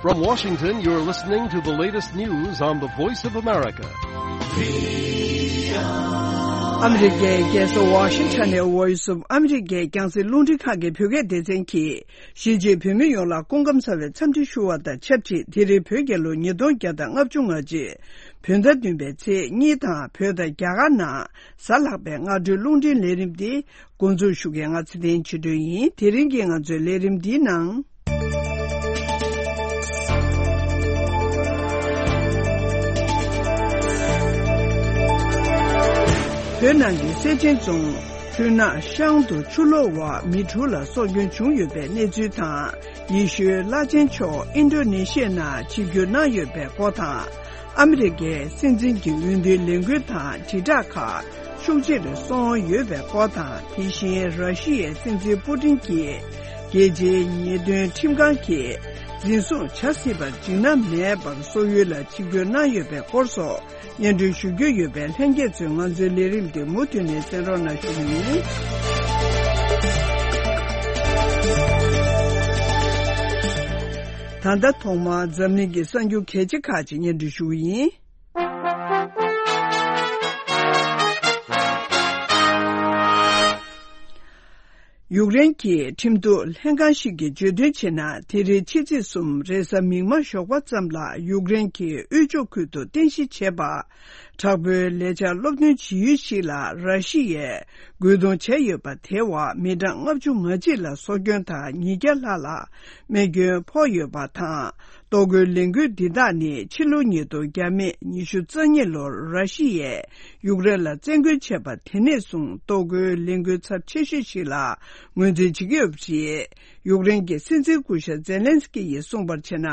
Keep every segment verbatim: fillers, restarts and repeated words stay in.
From Washington, you're listening to the latest news on the Voice of America. ཨ་མི་རི་ཀའི་རྒྱལ་ས་ཝ་ཤིང་ཊོན་ནས་Voice of America་རྒྱང་སྲིང་རླུང་འཕྲིན་ཁང་གི་བོད་སྐད་སྡེ་ཚན་གྱིས། གཞིས་བྱེས་བོད་མི་ཡོངས་ལ་སྐུ་ཁམས་བཟང་བའི་འཚམས་འདྲི་ཞུ་བ་དང་ཆབས་ཅིག་དེ་རིང་བོད་རྒྱལ་ལོ་ཉིས་སྟོང་བརྒྱ་དང་ལྔ་བཅུ་ང་གཅིག་བོད་ཟླ་བདུན་པའི་ཚེས་གཉིས་དང་བོད་དང་རྒྱ་གར་ནང་གཟའ་ལྷག་པའི་སྔ་དྲོའི་རླུང་འཕྲིན་ལས་རིམ་འདི་འགོ་འཛུགས་ཞུ་མཁན་ང་ཚེ་བརྟན་ཆོས་སྒྲོན་ཡིན། དེ་རིང་གི་ང་ཚོའི་ལས་རིམ་འདིའི་ནང་། བོད་ནང་གི་སེ་ཆེན་རྫོང་ཆུ་ནག་ཤང་དུ་ཆུ་ལོག་འོག་མི་དྲུག་ལ་སྲོག་སྐྱོན་བྱུང་ཡོད་པའི་གནས་ཚུལ་དང་། ཡེ་ཤུའི་བླ་ཆེན་མཆོག་ཨིན་ཌོ་ནེ་ཤི་ཡ་ནང་ཆིབས་བསྒྱུར་གནང་ཡོད་པའི་སྐོར་དང་། ཨ་མི་རི་ཀའི་སྲིད་འཛིན་གྱི་འོས་བསྡུའི་ལས་འགུལ་དང་དྲིལ་བསྒྲགས་ཁག་ཤུགས་ཆེ་རུ་སོང་ཡོད་པའི་སྐོར་དང་། དེ་བཞིན་ར་ཤི་ཡའི་སྲིད་འཛིན་པུ་ཏིན་གྱིས་རྒྱལ་སྤྱིའི་ཉེས་དོན་ཁྲིམས་ཁང་གིས་འཛིན་བཟུང་བྱ་སྲིད་པར་འཇིགས་སྣང་མེད་པར་སོག་ཡུལ་ལ་ཆིབས་བསྒྱུར་གནང་ཡོད་པའི་སྐོར་སོགས། སྙན་སྒྲོན་ཞུ་རྒྱུ་ཡོད་པས། ལྷན་རྒྱས་ཚོས་ང་ཚོའི་ལས་རིམ་འདི་མུ་མཐུད་ནས་གསན་རོགས་གནང་ཞུ་གི་ཡིན། ད་ལྟ་ཐོག་མར་འཛམ་གླིང་གི་གསར་འགྱུར་གལ་ཆེ་ཁག་ཅིག་སྙན་སྒྲོན་ཞུ་གི་ཡིན། ཡུཀ་རེན་གྱི་ཁྲིམས་གཏུག་ལྷན་ཁང་ཞིག་གིས་བརྗོད་དོན་བྱས་ན། དེ་རིང་ཕྱི་ཚེས་གསུམ་རེས་གཟའ་མིག་དམར་ཞོགས་པ་ཙམ་ལ་ཡུཀ་རེན་གྱི་དབུས་ཕྱོགས་ཁུལ་དུ་རྟེན་གཞི་བྱས་པ། དྲག་པོའི་ལས་འཆར་སློབ་སྟོན་བྱེད་ཡུལ་ཞིག་ལ་ར་ཤི་ཡས་རྒོལ་རྡུང་བྱས་ཡོད་པ་དེའི་འོག་མི་གྲངས་ལྔ་བཅུ་ང་གཅིག་ལ་སྲོག་སྐྱོན་དང་ཉིས་བརྒྱ་ལྷག་ལ་རྨས་སྐྱོན་ཕོག་ཡོད་པ་དང་། གཏོར་རྒོལ་ལས་འགུལ་འདི་དག་ནི་ཕྱི་ལོ་ཉིས་སྟོང་བརྒྱ་མེད་ཉི་ཤུ་རྩ་གཉིས་ལོར་ར་ཤི་ཡས་ཡུཀ་རེན་ལ་བཙན་རྒོལ་བྱས་པ་དེ་ནས་བཟུང་གཏོར་རྒོལ་ལས་འགུལ་ཚབས་ཆེ་ཤོས་ཤིག་ལ་ངོས་འཛིན་བྱེད་ཀྱི་ཡོད་པ་རེད། ཡུཀ་རེན་གྱི་སྲིད་འཛིན་སྐུ་ཞབས་ཛེ་ལན་སི་ཀི་ཡིས་གསུངས་པར་བྱས་ན།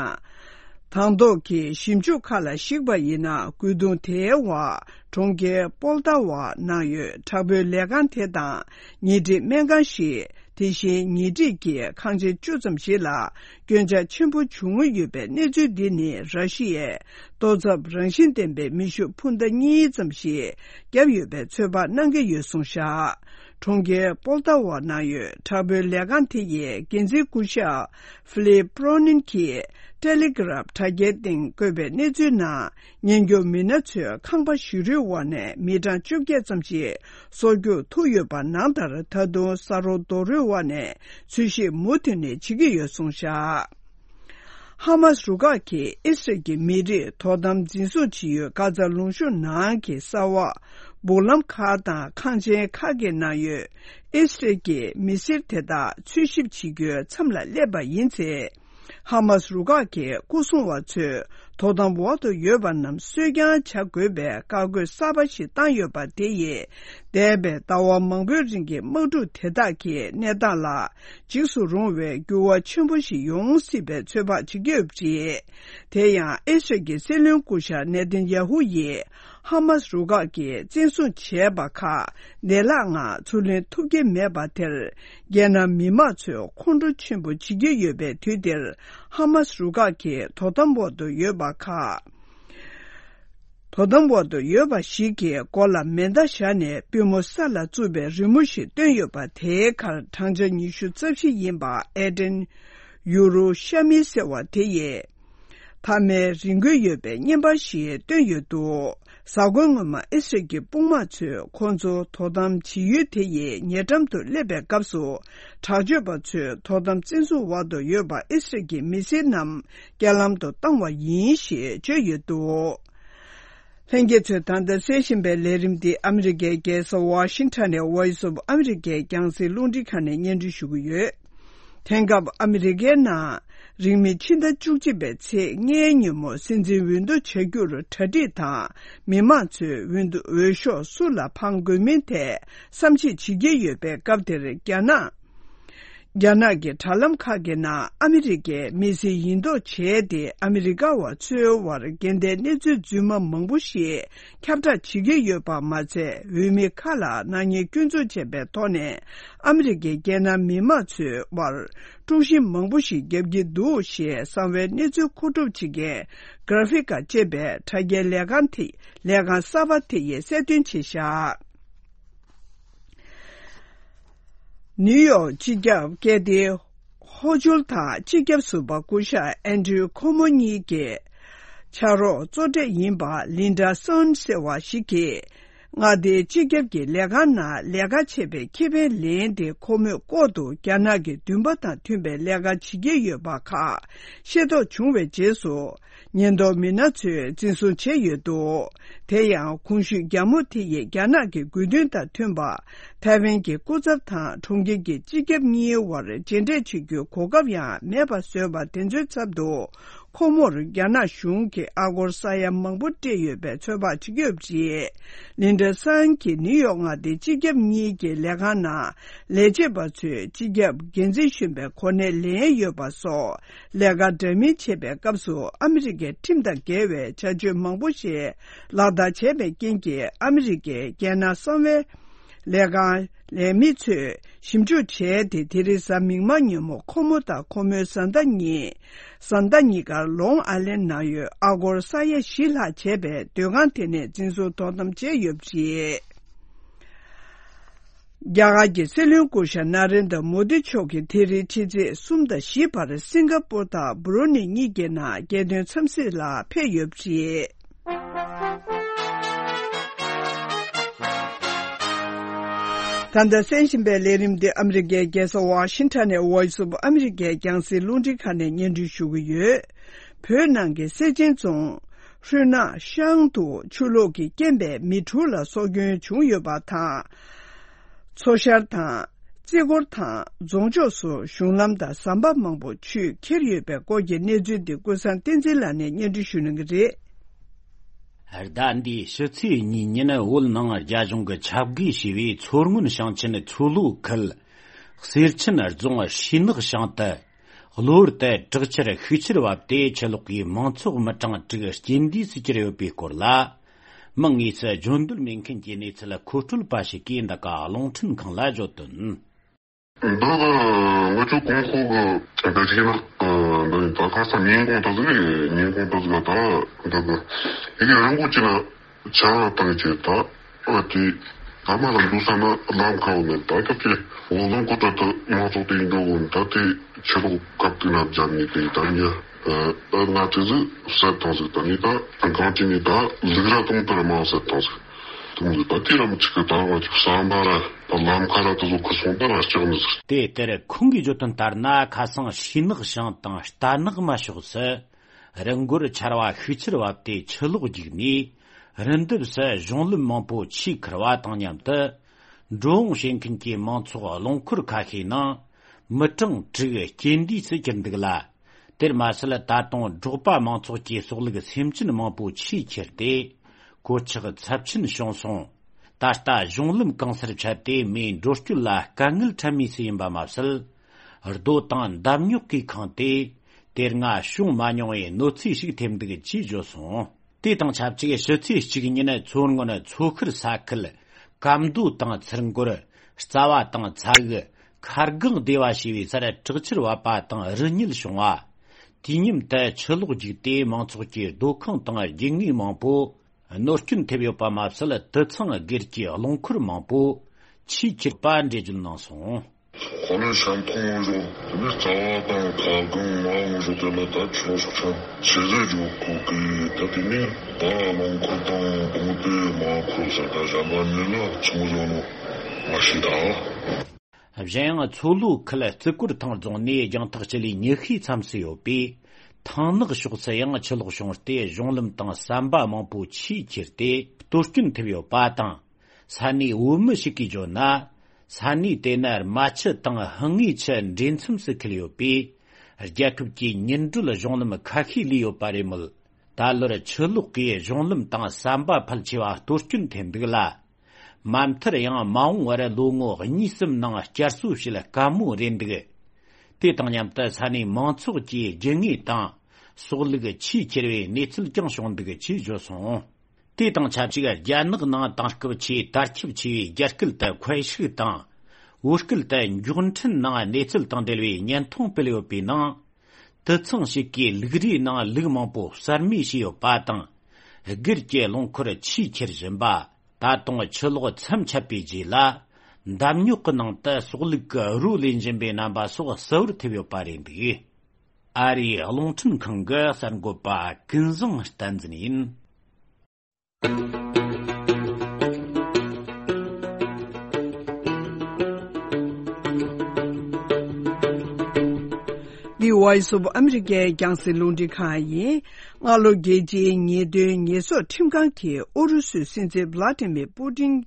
དང་ཐོག་གི་ཞིབ་འཇུག་ཁག་ལ་གཞིགས་པ་ཡིན་ན། རྒོལ་རྡུང་དེའི་འོག་གྲོང་ཁྱེར་པོལ་ཏཱ་ཝ་ནང་ཡོད་དྲག་པོའི་ལས་ཁང་དེ་དང་། ཉེ་འཁྲིས་སྨན་ཁང་ཞིག་དེ་བཞིན་ཉེ་འཁྲིས་ཀྱི་ཁང་ཆེན་བཅུ་ཙམ་ཞིག་ལ་སྐྱོན་ཆག་ཆེན་པོ་བྱུང་ཡོད་པའི་གནས་ཚུལ་འདི་ནི། ར་ཤི་ཡས་གཏོར་ཚབ་རང་བཞིན་ལྡན་པའི་མེ་ཤུགས་འཕུར་མདའ་གཉིས་ཙམ་ཞིག་བརྒྱབ་ཡོད་པའི་ཚོད་དཔག་གནང་གི་ཡོད་གསུངས་བཞག་གྲོང་ཁྱེར་པོལ་ཏཱ་ཝ་ནང་ཡོད་དྲག་པོའི་ལས་ཁང་དེ་ཡི་འགན་འཛིན་སྐུ་ཞབས་ཧྥི་ལིབ་པྲོ་ནིན་གྱིས་ཏེ་ལེ་གྷི་རབ་དྲ་རྒྱའི་སྟེང་བཀོད་པའི་གནས་ཚུལ་ནང་། ཉེན་སྐྱོབ་མི་སྣ་ཚོས་ཁང་པ་ཞིག་རོའི་འོག་ནས་མི་གྲངས་བཅོ་བརྒྱད་ཙམ་ཞིག་སྲོག་སྐྱོབ་ཐུབ་ཡོད་པ་ནང་ལྟར། ད་དུང་ས་རོ་རྡོ་རོའི་འོག་ནས་འཚོལ་ཞིབ་མུ་མཐུད་ནས་བྱེད་ཀྱི་ཡོད་གསུངས་བཞག་ཧ་མཱས་རུ་ཁག་གིས་ཨི་སི་རལ་གྱི་མི་རིགས་དོ་དམ་འཛིན་བཟུང་བྱེད་ཡུལ་གྷ་ཛ་ལུང་གཤོང་ནང་གི་ས་འོག་སྦུག་ལམ་ཁག་དང་ཁང་ཆེན་ཁག་གི་ནང་ཡོད་ཨི་སི་རལ་གྱི་མི་སེར་དེ་དག་འཚོལ་ཞིབ་བྱེད་རྒྱུའི་མཚམས་ལ་སླེབས་པ་ཡིན་ཚེ། ཧ་མཱས་རུ་ཁག་གི་སྐུ་སྲུང་བ་ཚོས་དོ་དམ་འོག་ཏུ་ཡོད་པ་རྣམས་གསོད་རྐྱང་བྱ་དགོས་པའི་བཀའ་བཀོད་གསར་པ་ཞིག་བཏང་ཡོད་པ་དེ་ཡིས། འདས་པའི་ཟླ་བ་མང་པོའི་རིང་གི་དམག་འཁྲུག་དེ་དག་གི་གནས་སྟངས་ལ་འཇིགས་སུ་རུང་བའི་འགྱུར་བ་ཆེན་པོ་ཞིག་ཡོང་སྲིད་པའི་ཚོད་དཔག་བྱེད་ཀྱི་ཡོད་པ་རེད། དེ་ཡང་ཨི་སི་རལ་གྱི་སྲིད་བློན་སྐུ་ཞབས་ནེ་ཐན་ཡ་ཧུ་ཡིས། ཧ་མཱས་རུ་ཁག་གིས་བཙན་བཟུང་བྱས་པ་ཁག་བདེ་བླག་ངང་ཚུར་ལེན་ཐུབ་ཀྱི་མེད་པ་དེར། རྒྱལ་ནང་མི་མང་ཚོས་ཁོང་ཁྲོ་ཆེན་པོ་བྱེད་ཀྱི་ཡོད་པའི་དུས་འདིར། ཧ་མཱས་རུ་ཁག་གི་དོ་དམ་འོག་ཏུ་ཡོད་པ་ཁག་དོ་དམ་འོག་ཏུ་ཡོད་པ་ཞིག་གི་མགོ་ལ་མེ་མདའ་བཞག་ནས་པུས་མོ་ས་ལ་བཙུགས་པའི་རི་མོ་ཞིག་བཏོན་ཡོད་པ། དེའི་ཁར་བགྲང་བྱ་ཉི་ཤུ་རྩ་བཞི་ཡིན་པ་ཨེ་ཏན་ཡུ་རུ་ཤ་མི་ཟེར་བ་དེ་ཡིས། མཐའ་མའི་རི་འགུལ་ཡོད་པའི་བརྙན་པར་ཞིག་བཏོན་ཡོད་འདུག་གཟའ་འཁོར་སྔོན་མ་ཨི་སི་རལ་གྱི་དཔུང་དམག་ཚོས་ཁོང་ཚོ་དོ་དམ་བྱེད་ཡུལ་དེ་ཡི་ཉེ་འགྲམ་དུ་སླེབས་པའི་སྐབས་སུ། དྲག་སྤྱོད་པ་ཚོས་དོ་དམ་བཙན་བཟུང་འོག་ཏུ་ཡོད་པ་ཨི་སི་རལ་གྱི་མི་སེར་རྣམས་རྐྱེན་ལམ་དུ་བཏང་བ་ཡིན་ཞེས་བརྗོད་ཡོད་འདུག་ལྷན་རྒྱས་ཚོས་ད་ལྟ་གསན་བཞིན་པའི་ལས་རིམ་འདི་ཨ་མི་རི་ཀའི་རྒྱལ་ས་ཝ་ཤིང་ཊོན་ནས་Voice of America་རྒྱང་སྲིང་རླུང་འཕྲིན་ཁང་ནས་སྙན་སྒྲོན་ཞུ་གི་ཡོད། དེང་སྐབས་ཨ་མི་རི་ཀའི་ནང་རིང་མིན་ཕྱི་ཟླ་བཅུ་གཅིག་པའི་ཚེས་ལྔའི་ཉིན་མོ་སྲིད་འཛིན་འོས་བསྡུ་བྱ་རྒྱུར་གྲ་སྒྲིག་དང་། མི་མང་ཚོས་འོས་བསྡུ་འོས་ཤོག་སུ་ལ་འཕང་དགོས་མིན་ཐད་བསམ་གཞིག་བྱེད་ཀྱི་ཡོད་པའི་སྐབས་དེར། རྒྱ་ནག་རྒྱ་ནག་གི་དྲ་ལམ་ཁག་གི་ནང་ཨ་མི་རི་ཀའི་མི་སེར་ཡིན་མདོག་བྱས་ཏེ། ཨ་མི་རི་ཀ་བ་ཚོའི་དབར་འགལ་ཟླའི་གནས་ཚུལ་རྫུན་མ་མང་པོ་ཞིག་ཁྱབ་བསྒྲགས་བྱེད་ཀྱི་ཡོད་པ་མ་ཚད། འོས་མི་ཁག་ལ་ནག་ཉེས་སྐྱོན་འཛུགས་བྱས་པའི་ཐོག་ནས། ཨ་མི་རི་ཀའི་རྒྱལ་ནང་མི་མང་ཚོའི་དབར་དཀྲུག་ཤིང་མང་པོ་ཞིག་བརྒྱབ་ཀྱི་འདུག་ཞེས་གསང་བའི་གནས་ཚུལ་མཁོ་སྒྲུབ་བྱེད་མཁན་གྷ་ར་ཕིག་ཀ་ཅེས་པའི་དྲ་རྒྱའི་ལས་ཁང་དེ། ལས་ཁང་གསར་པ་དེ་ཡིས་གསལ་སྟོན་བྱས་བཞག་ནིའུ་ཡོག་སྤྱི་ཁྱབ་སྐད་སྡེའི་ ལྷོ་ཕྱོགས་དང་སྤྱི་ཁྱབ་ཟུར་པ་སྐུ་ཞབས་ཨན་ཌྲུ་ཁོ་མོ་གཉིས་ཀྱི་ཕྱག་རོགས་གཙོ་གྲས་ཡིན་པ་ལིན་ཌ་སོན་ཟེར་བ་ཞིག་གིས། མངའ་སྡེའི་སྤྱི་ཁྱབ་ཀྱི་ལས་ཁང་ནང་ལས་ཀ་བྱེད་པའི་ཁེ་ཕན་ལེན་ཏེ། ཁོ་མོས་ལྐོག་ཏུ་རྒྱ་ནག་གི་འདུན་པ་དང་མཐུན་པའི་ལས་ཀ་བྱེད་ཀྱི་ཡོད་པ་ཁག་ཤེས་རྟོགས་བྱུང་བའི་རྗེས་སུ། ཉེན་རྟོག་མི་སྣ་ཚོས་འཛིན་བཟུང་བྱས་ཡོད་འདུག་དེ་ཡང་གོང་ཞུས་རྒྱ་མོ་དེ་ཡིས་རྒྱ་ནག་གི་དགོས་འདུན་དང་མཐུན་པ། ཐའེ་ཝན་གྱི་སྐུ་ཚབ་དང་གྲོང་ཁྱེར་གྱི་སྤྱི་ཁྱབ་གཉིས་དབར་མཇལ་འཕྲད་བྱེད་རྒྱུའི་གོ་སྐབས་ཡང་མེད་པ་བཟོས་པ་དེ་ཚོའི་ཚབ་ཏུ། ཁོ་མོར་རྒྱ་ནག་གཞུང་གིས་ཨ་སྒོར་ས་ཡ་མང་པོ་སྤྲད་ཡོད་པའི་ཚོད་དཔག་བྱེད་ཀྱི་ཡོད་པ་རེད། ལིན་ཌ་སན་གྱིས་ནིའུ་ཡོག་མངའ་སྡེའི་སྤྱི་ཁྱབ་གཉིས་ཀྱི་ལས་ཁང་ནང་ལས་བྱེད་པ་ཚོས་སྤྱི་ཁྱབ་འགན་འཛིན་གཞོན་པའི་གོ་གནས་ལེན་ཡོད་པ་སོགས། ལས་ཀ་འདྲ་མིན་བྱེད་པའི་སྐབས་སུ་ཨ་མི་རི་ཀའི་ཁྲིམས་དང་འགལ་བའི་བྱ་སྤྱོད་མང་པོ་ཞིག་ལག་བསྟར་བྱས་པའི་རྐྱེན་གྱིས། ཨ་མི་རི་ཀའི་རྒྱལ་ནང་གསང་བའི་ལས་ཁང་ལས་མི་ཚོས་ཞིབ་འཇུག་བྱས་ཏེ། དེ་རིང་གཟའ་མིག་དམར་ཉིན་མོ་ཁོ་མོ་དང་ཁོ་མོའི་བཟའ་ཟླ་གཉིས། བཟའ་ཟླ་གཉིས་ཀ་ལོང་ཨའི་ལན་ནང་ཡོད་ཨ་སྒོར་ས་ཡ་བཞི་ལྷག་བྱས་པའི་སྡོད་ཁང་དེ་ནས་འཛིན་བཟུང་དོ་དམ་བྱས་ཡོད་པ་རེད། རྒྱ་གར་གྱི་སྲིད་བློན་སྐུ་ཞབས་ན་རེན་དྲ་མོ་དི་མཆོག་གིས་དེ་རིང་ཕྱི་ཚེས་གསུམ་དང་བཞི་བར་སིང་ག་པུར་དང་བྷུ་རུ་ནི་གཉིས་ཀྱི་ནང་རྒྱལ་དོན་འཚམས་གཟིགས་ལ་ཕེབས་ཡོད་པ་རེད། ད་ལྟ་གསན་བཞིན་པའི་ལས་རིམ་འདི་ཨ་མི་རི་ཀའི་རྒྱལ་ས་ཝ་ཤིང་ཊོན་ནས་Voice of America རྒྱང་སྲིང་རླུང་འཕྲིན་ཁང་ནས་སྙན་སྒྲོན་ཞུ་གི་ཡོད། བོད་ནང་གི་སེར་ཆེན་རྫོང་ཧྲུན་ནག་ཤང་དུ་ཆུ་ལོག་གི་རྐྱེན་པས་མི་དྲུག་ལ་སྲོག་སྐྱོན་བྱུང་ཡོད་པ་དང་། མཚོ་ཤར་དང་རྩེ་སྐོར་དང་རྫོང་ཕྱོགས་སུ་གཞུང་ལམ་དང་ཟམ་པ་མང་པོ་ཆུས་ཁྱེར་ཡོད་པའི་སྐོར་གྱི་གནས་ཚུལ་འདི་ཀུན་བཟང་བསྟན་འཛིན་ལགས་ནས་སྙན་སྒྲོན་ཞུ་གནང་གི་རེད། ཟླ་འདིའི་ཕྱི་ཚེས་གཉིས་ཉིན་བོད་ནང་རྒྱ་གཞུང་གིས་ཁྱབ་བགོས་བྱས་པའི་མཚོ་སྔོན་ཞིང་ཆེན་མཚོ་ལྷོ་ཁུལ་གསེར་ཆེན་རྫོང་ཧྲེ་ནག་ཞང་དུ། གློ་བུར་དུ་དྲག་ཆར་ཤུགས་ཆེར་བབས་ཏེ། ཆུ་ལོག་གིས་མང་ཚོགས་མི་གྲངས་དྲུག་རྐྱེན་འདས་སུ་གྱུར་ཡོད་པའི་སྐོར་ལ། མིང་དངོས་སུ་བརྗོད་འདོད་མེད་མཁན་གྱི་གནས་ཚུལ་མཁོ་སྤྲོད་པ་ཞིག་གིས་འདི་ག་རླུང་འཕྲིན་ཁང་ལ་བརྗོད་དོན། འདི་གི་ང་ཚོ་གོང་འོག་གི་འདི་ཤེས་ན། འདི་ད་ཁ་སང་ཉིན་གུང་དུ་ཟིག་ཉིན་གུང་དུ་ཟིག་ད་འདི་གི་ཡི་གེ་རིང་པོ་ཅིག་ན། ཆར་པ་བཏང་བྱས་ད། ཨ་དེ། ད་མ་ལ་འདུག་ས་ན་ལམ་ཁ་བོ་མེད། ད་སྐབས་ཀྱི་འོ་ལོང་ཀོ་ཏྲ་དུ་མང་ཚོགས་དེ་འགྲོ་གོ་ད་དེ་ཆུ་ལོག་སྐབས་དེ་ན་བརྒྱབ་ནས་དེ་ད་ཉ། ཨ་ང་དེ་ཟིག་བསད་བཏང་ཟིག་ད་ནི་ད་གང་ཅི་ནི་ད་ལུག་ར་དང་དུ་ར་མང་བསད་བཏང་ཟིག་དུང་ཟིག་ད་དེ་ར་མི་ཆིག་གི་ད་ང་ཅིག་བསམ་པ་ར་ད་ལམ་ཁ་ར་དུ་ཟོ་ཁུ་སོང་ད་ར་ལྕགས་ནི་ཟིག་དེ་ལྟར་ཁོང་གིས་བརྗོད་དོན་ལྟར་ན། ཁ་སང་ཧྲེ་ནག་ཞང་དང་རྟ་ནག་མ་ཕྱོགས་སུ། རི་མགོར་ཆར་པ་ཤུགས་ཆེར་བབས་ཏེ་ཆུ་ལོག་རྒྱུག་ནས། རི་འདབས་སུ་གཞུང་ལམ་མང་པོ་ཆུས་ཁུར་བ་དང་མཉམ་དུ། འགྲོ་འོང་བྱེད་མཁན་གྱི་མང་ཚོགས་རླངས་འཁོར་ཁ་ཤས་ནང་མི་གྲངས་དྲུག་རྐྱེན་འདས་སུ་གྱུར་འདུག་ལ། དེར་མ་ཟད། ད་དུང་འབྲོག་པ་མང་ཚོགས་ཀྱི་སྲོག་ལུག་སེམས་ཅན་མང་པོ་ཆུས་ཁྱེར་ཏེ། གོད་ཆག་ཚབས་ཆེན་བྱུང་སོང་། ད་ལྟ་གཞུང་ལམ་གང་སར་ཆད་དེ་མིའི་འགྲོ་སྐྱོད་ལ་དཀའ་ངལ་འཕྲད་མུས་སུ་ཡིན་པ་མ་ཟད། རྡོ་དང་འདམ་རྙོག་གིས་ཁེངས་ཏེ། དེ་སྔ་བྱུང་མ་མྱོང་བའི་གནོད་འཚེ་ཞིག་ཐེབས་འདུག་ཅེས་བརྗོད་སོང་། དེ་དང་ཆབས་ཅིག་ཕྱི་ཚེས་གཅིག་ཉིན་མཚོ་སྔོན་མཚོ་ཤར་ས་ཁུལ་སྐམ་མདོ་དང་ཚུར་འགོར། རྩ་བ་དང་ཚ་འུག་མཁར་སྒང་སྡེ་བ་ཞེས་པའི་སར་དྲག་ཆར་བབས་པ་དང་རི་ཉིལ་བྱུང་བ། དུས་མཉམ་དུ་ཆུ་ལོག་རྒྱུག་སྟེ་མང་ཚོགས་ཀྱི་སྡོད་ཁང་དང་རྒྱུ་དངོས་མང་པོ་གནོད་སྐྱོན་ཐེབས་ཡོད་པ་མ་ཟད། དུད་ཚང་སྒེར་གྱི་རླངས་འཁོར་མང་པོ་ཆུས་ཁྱེར་པ་འགྲེལ་བརྗོད་གནང་སོང་། ཧོ་ལན་ཤང་ཁོང་འོང་ཞོག་དེ་ནས་རྩ་བ་དང་ཁ་སྒང་མ་འོང་ཞོག་དེ་ལ་ད་ཆོག་ཤོག་ཆང་ཆེ་ཟེར་འཇོག་གོ་གི་ད་དེ་ནས་ད་རླངས་འཁོར་དང་དཔུང་སྡེ་མ་འཁོར་ས་ད་གཞན་པ་མི་ལ་ཆུང་བཟོ་ནོ་མ་ཤེས་ད། གཞན་ཡང་མཚོ་ལྷོ་ཁུལ་རྩི་གོར་ཐང་རྫོང་ནས་རྒྱང་ཐག་སྤྱི་ལེ་ཉི་ཤུའི་མཚམས་སུ་ཡོད་པའི་ཐང་ནག་ཕྱོགས་སུ་ཡང་ཆུ་ལོག་བྱུང་སྟེ་གཞུང་ལམ་དང་ཟམ་པ་མང་པོ་ཆུས་ཁྱེར་ཏེ་གཏོར་སྐྱོན་ཐེབས་ཡོད་པ་དང་། ས་གནས་བོད་མི་ཞིག་གིས་བརྗོད་ན། ས་གནས་དེ་ནི་རྨ་ཆུ་དང་ཧང་ངེ་ཆུ་འདྲེས་མཚམས་སུ་འཁེལ་ཡོད་པས། རྒྱལ་ཁབ་ཀྱི་མྱུར་བགྲོད་གཞུང་ལམ་ཁ་ཤས་ལས་ཡོད་པ་རེད་མོད། ད་ལོར་ཆུ་ལོག་གིས་གཞུང་ལམ་དང་ཟམ་པ་ཕལ་ཆེ་བ་གཏོར་སྐྱོན་ཐེབས་འདུག་ལ། མ་མཐར་ཡང་མ་འོངས་བར་ལོ་ངོ་གཉིས་གསུམ་ནང་བསྐྱར་གསོ་བྱེད་དཀའ་མོ་རེད་འདུག་དེ་དང་མཉམ་དུ་ས་གནས་མང་ཚོགས་ཀྱི་རྒྱུ་དངོས་དང་སྲོག་ལུག་ཆུས་ཁྱེར་བའི་གནས་ཚུལ་ཀྱང་བྱུང་འདུག་ཅེས་བརྗོད་སོང་། དེ་དང་ཆབས་ཅིག་རྒྱ་ནག་ནང་དེང་སྐབས་ཆེས་དར་ཁྱབ་ཆེ་བའི་རྒྱ་སྐད་དུ་ཁོའེ་ཧྲི་དང་། བོད་སྐད་དུ་མགྱོགས་འཕྲིན་ནང་གནས་ཚུལ་དང་འབྲེལ་བའི་བརྙན་ཐུང་སྤེལ་ཡོད་པའི་ནང་། དུད་ཚང་ཞིག་གིས་ལུག་རའི་ནང་ལུག་མང་པོ་གསར་རྨས་བྱས་ཡོད་པ་དང་། སྒེར་གྱི་རླངས་འཁོར་ཆུས་ཁྱེར་བཞིན་པ། ད་དུང་ཆུ་ལོག་མཚམས་ཆད་པའི་རྗེས་ལ། འདམ་རྙོག་གི་ནང་དུ་སྲོག་བླུགས་ཀྱི་རོ་ལེན་བཞིན་པའི་རྣམ་པ་སོགས་གསལ་བོར་ཐེབས་ཡོད་པ་རེད་འདུག། ཨ་རིའི་རླུང་འཕྲིན་ཁང་གི་གསར་འགོད་པ་ཀུན་བཟང་བསྟན་འཛིན་ཡིན། The Voice of America རྒྱང་སྲིང་རླུང་འཕྲིན་ཁང་ཡིན། སྔ་ལོ་རྒྱལ་སྤྱིའི་ཉེས་དོན་ཉེས་གསོག་ཁྲིམས་ཁང་གིས་ཨུ་རུ་སུའི་སྲིད་འཛིན་ཝླ་ཏི་མིར་པུ་ཏིན་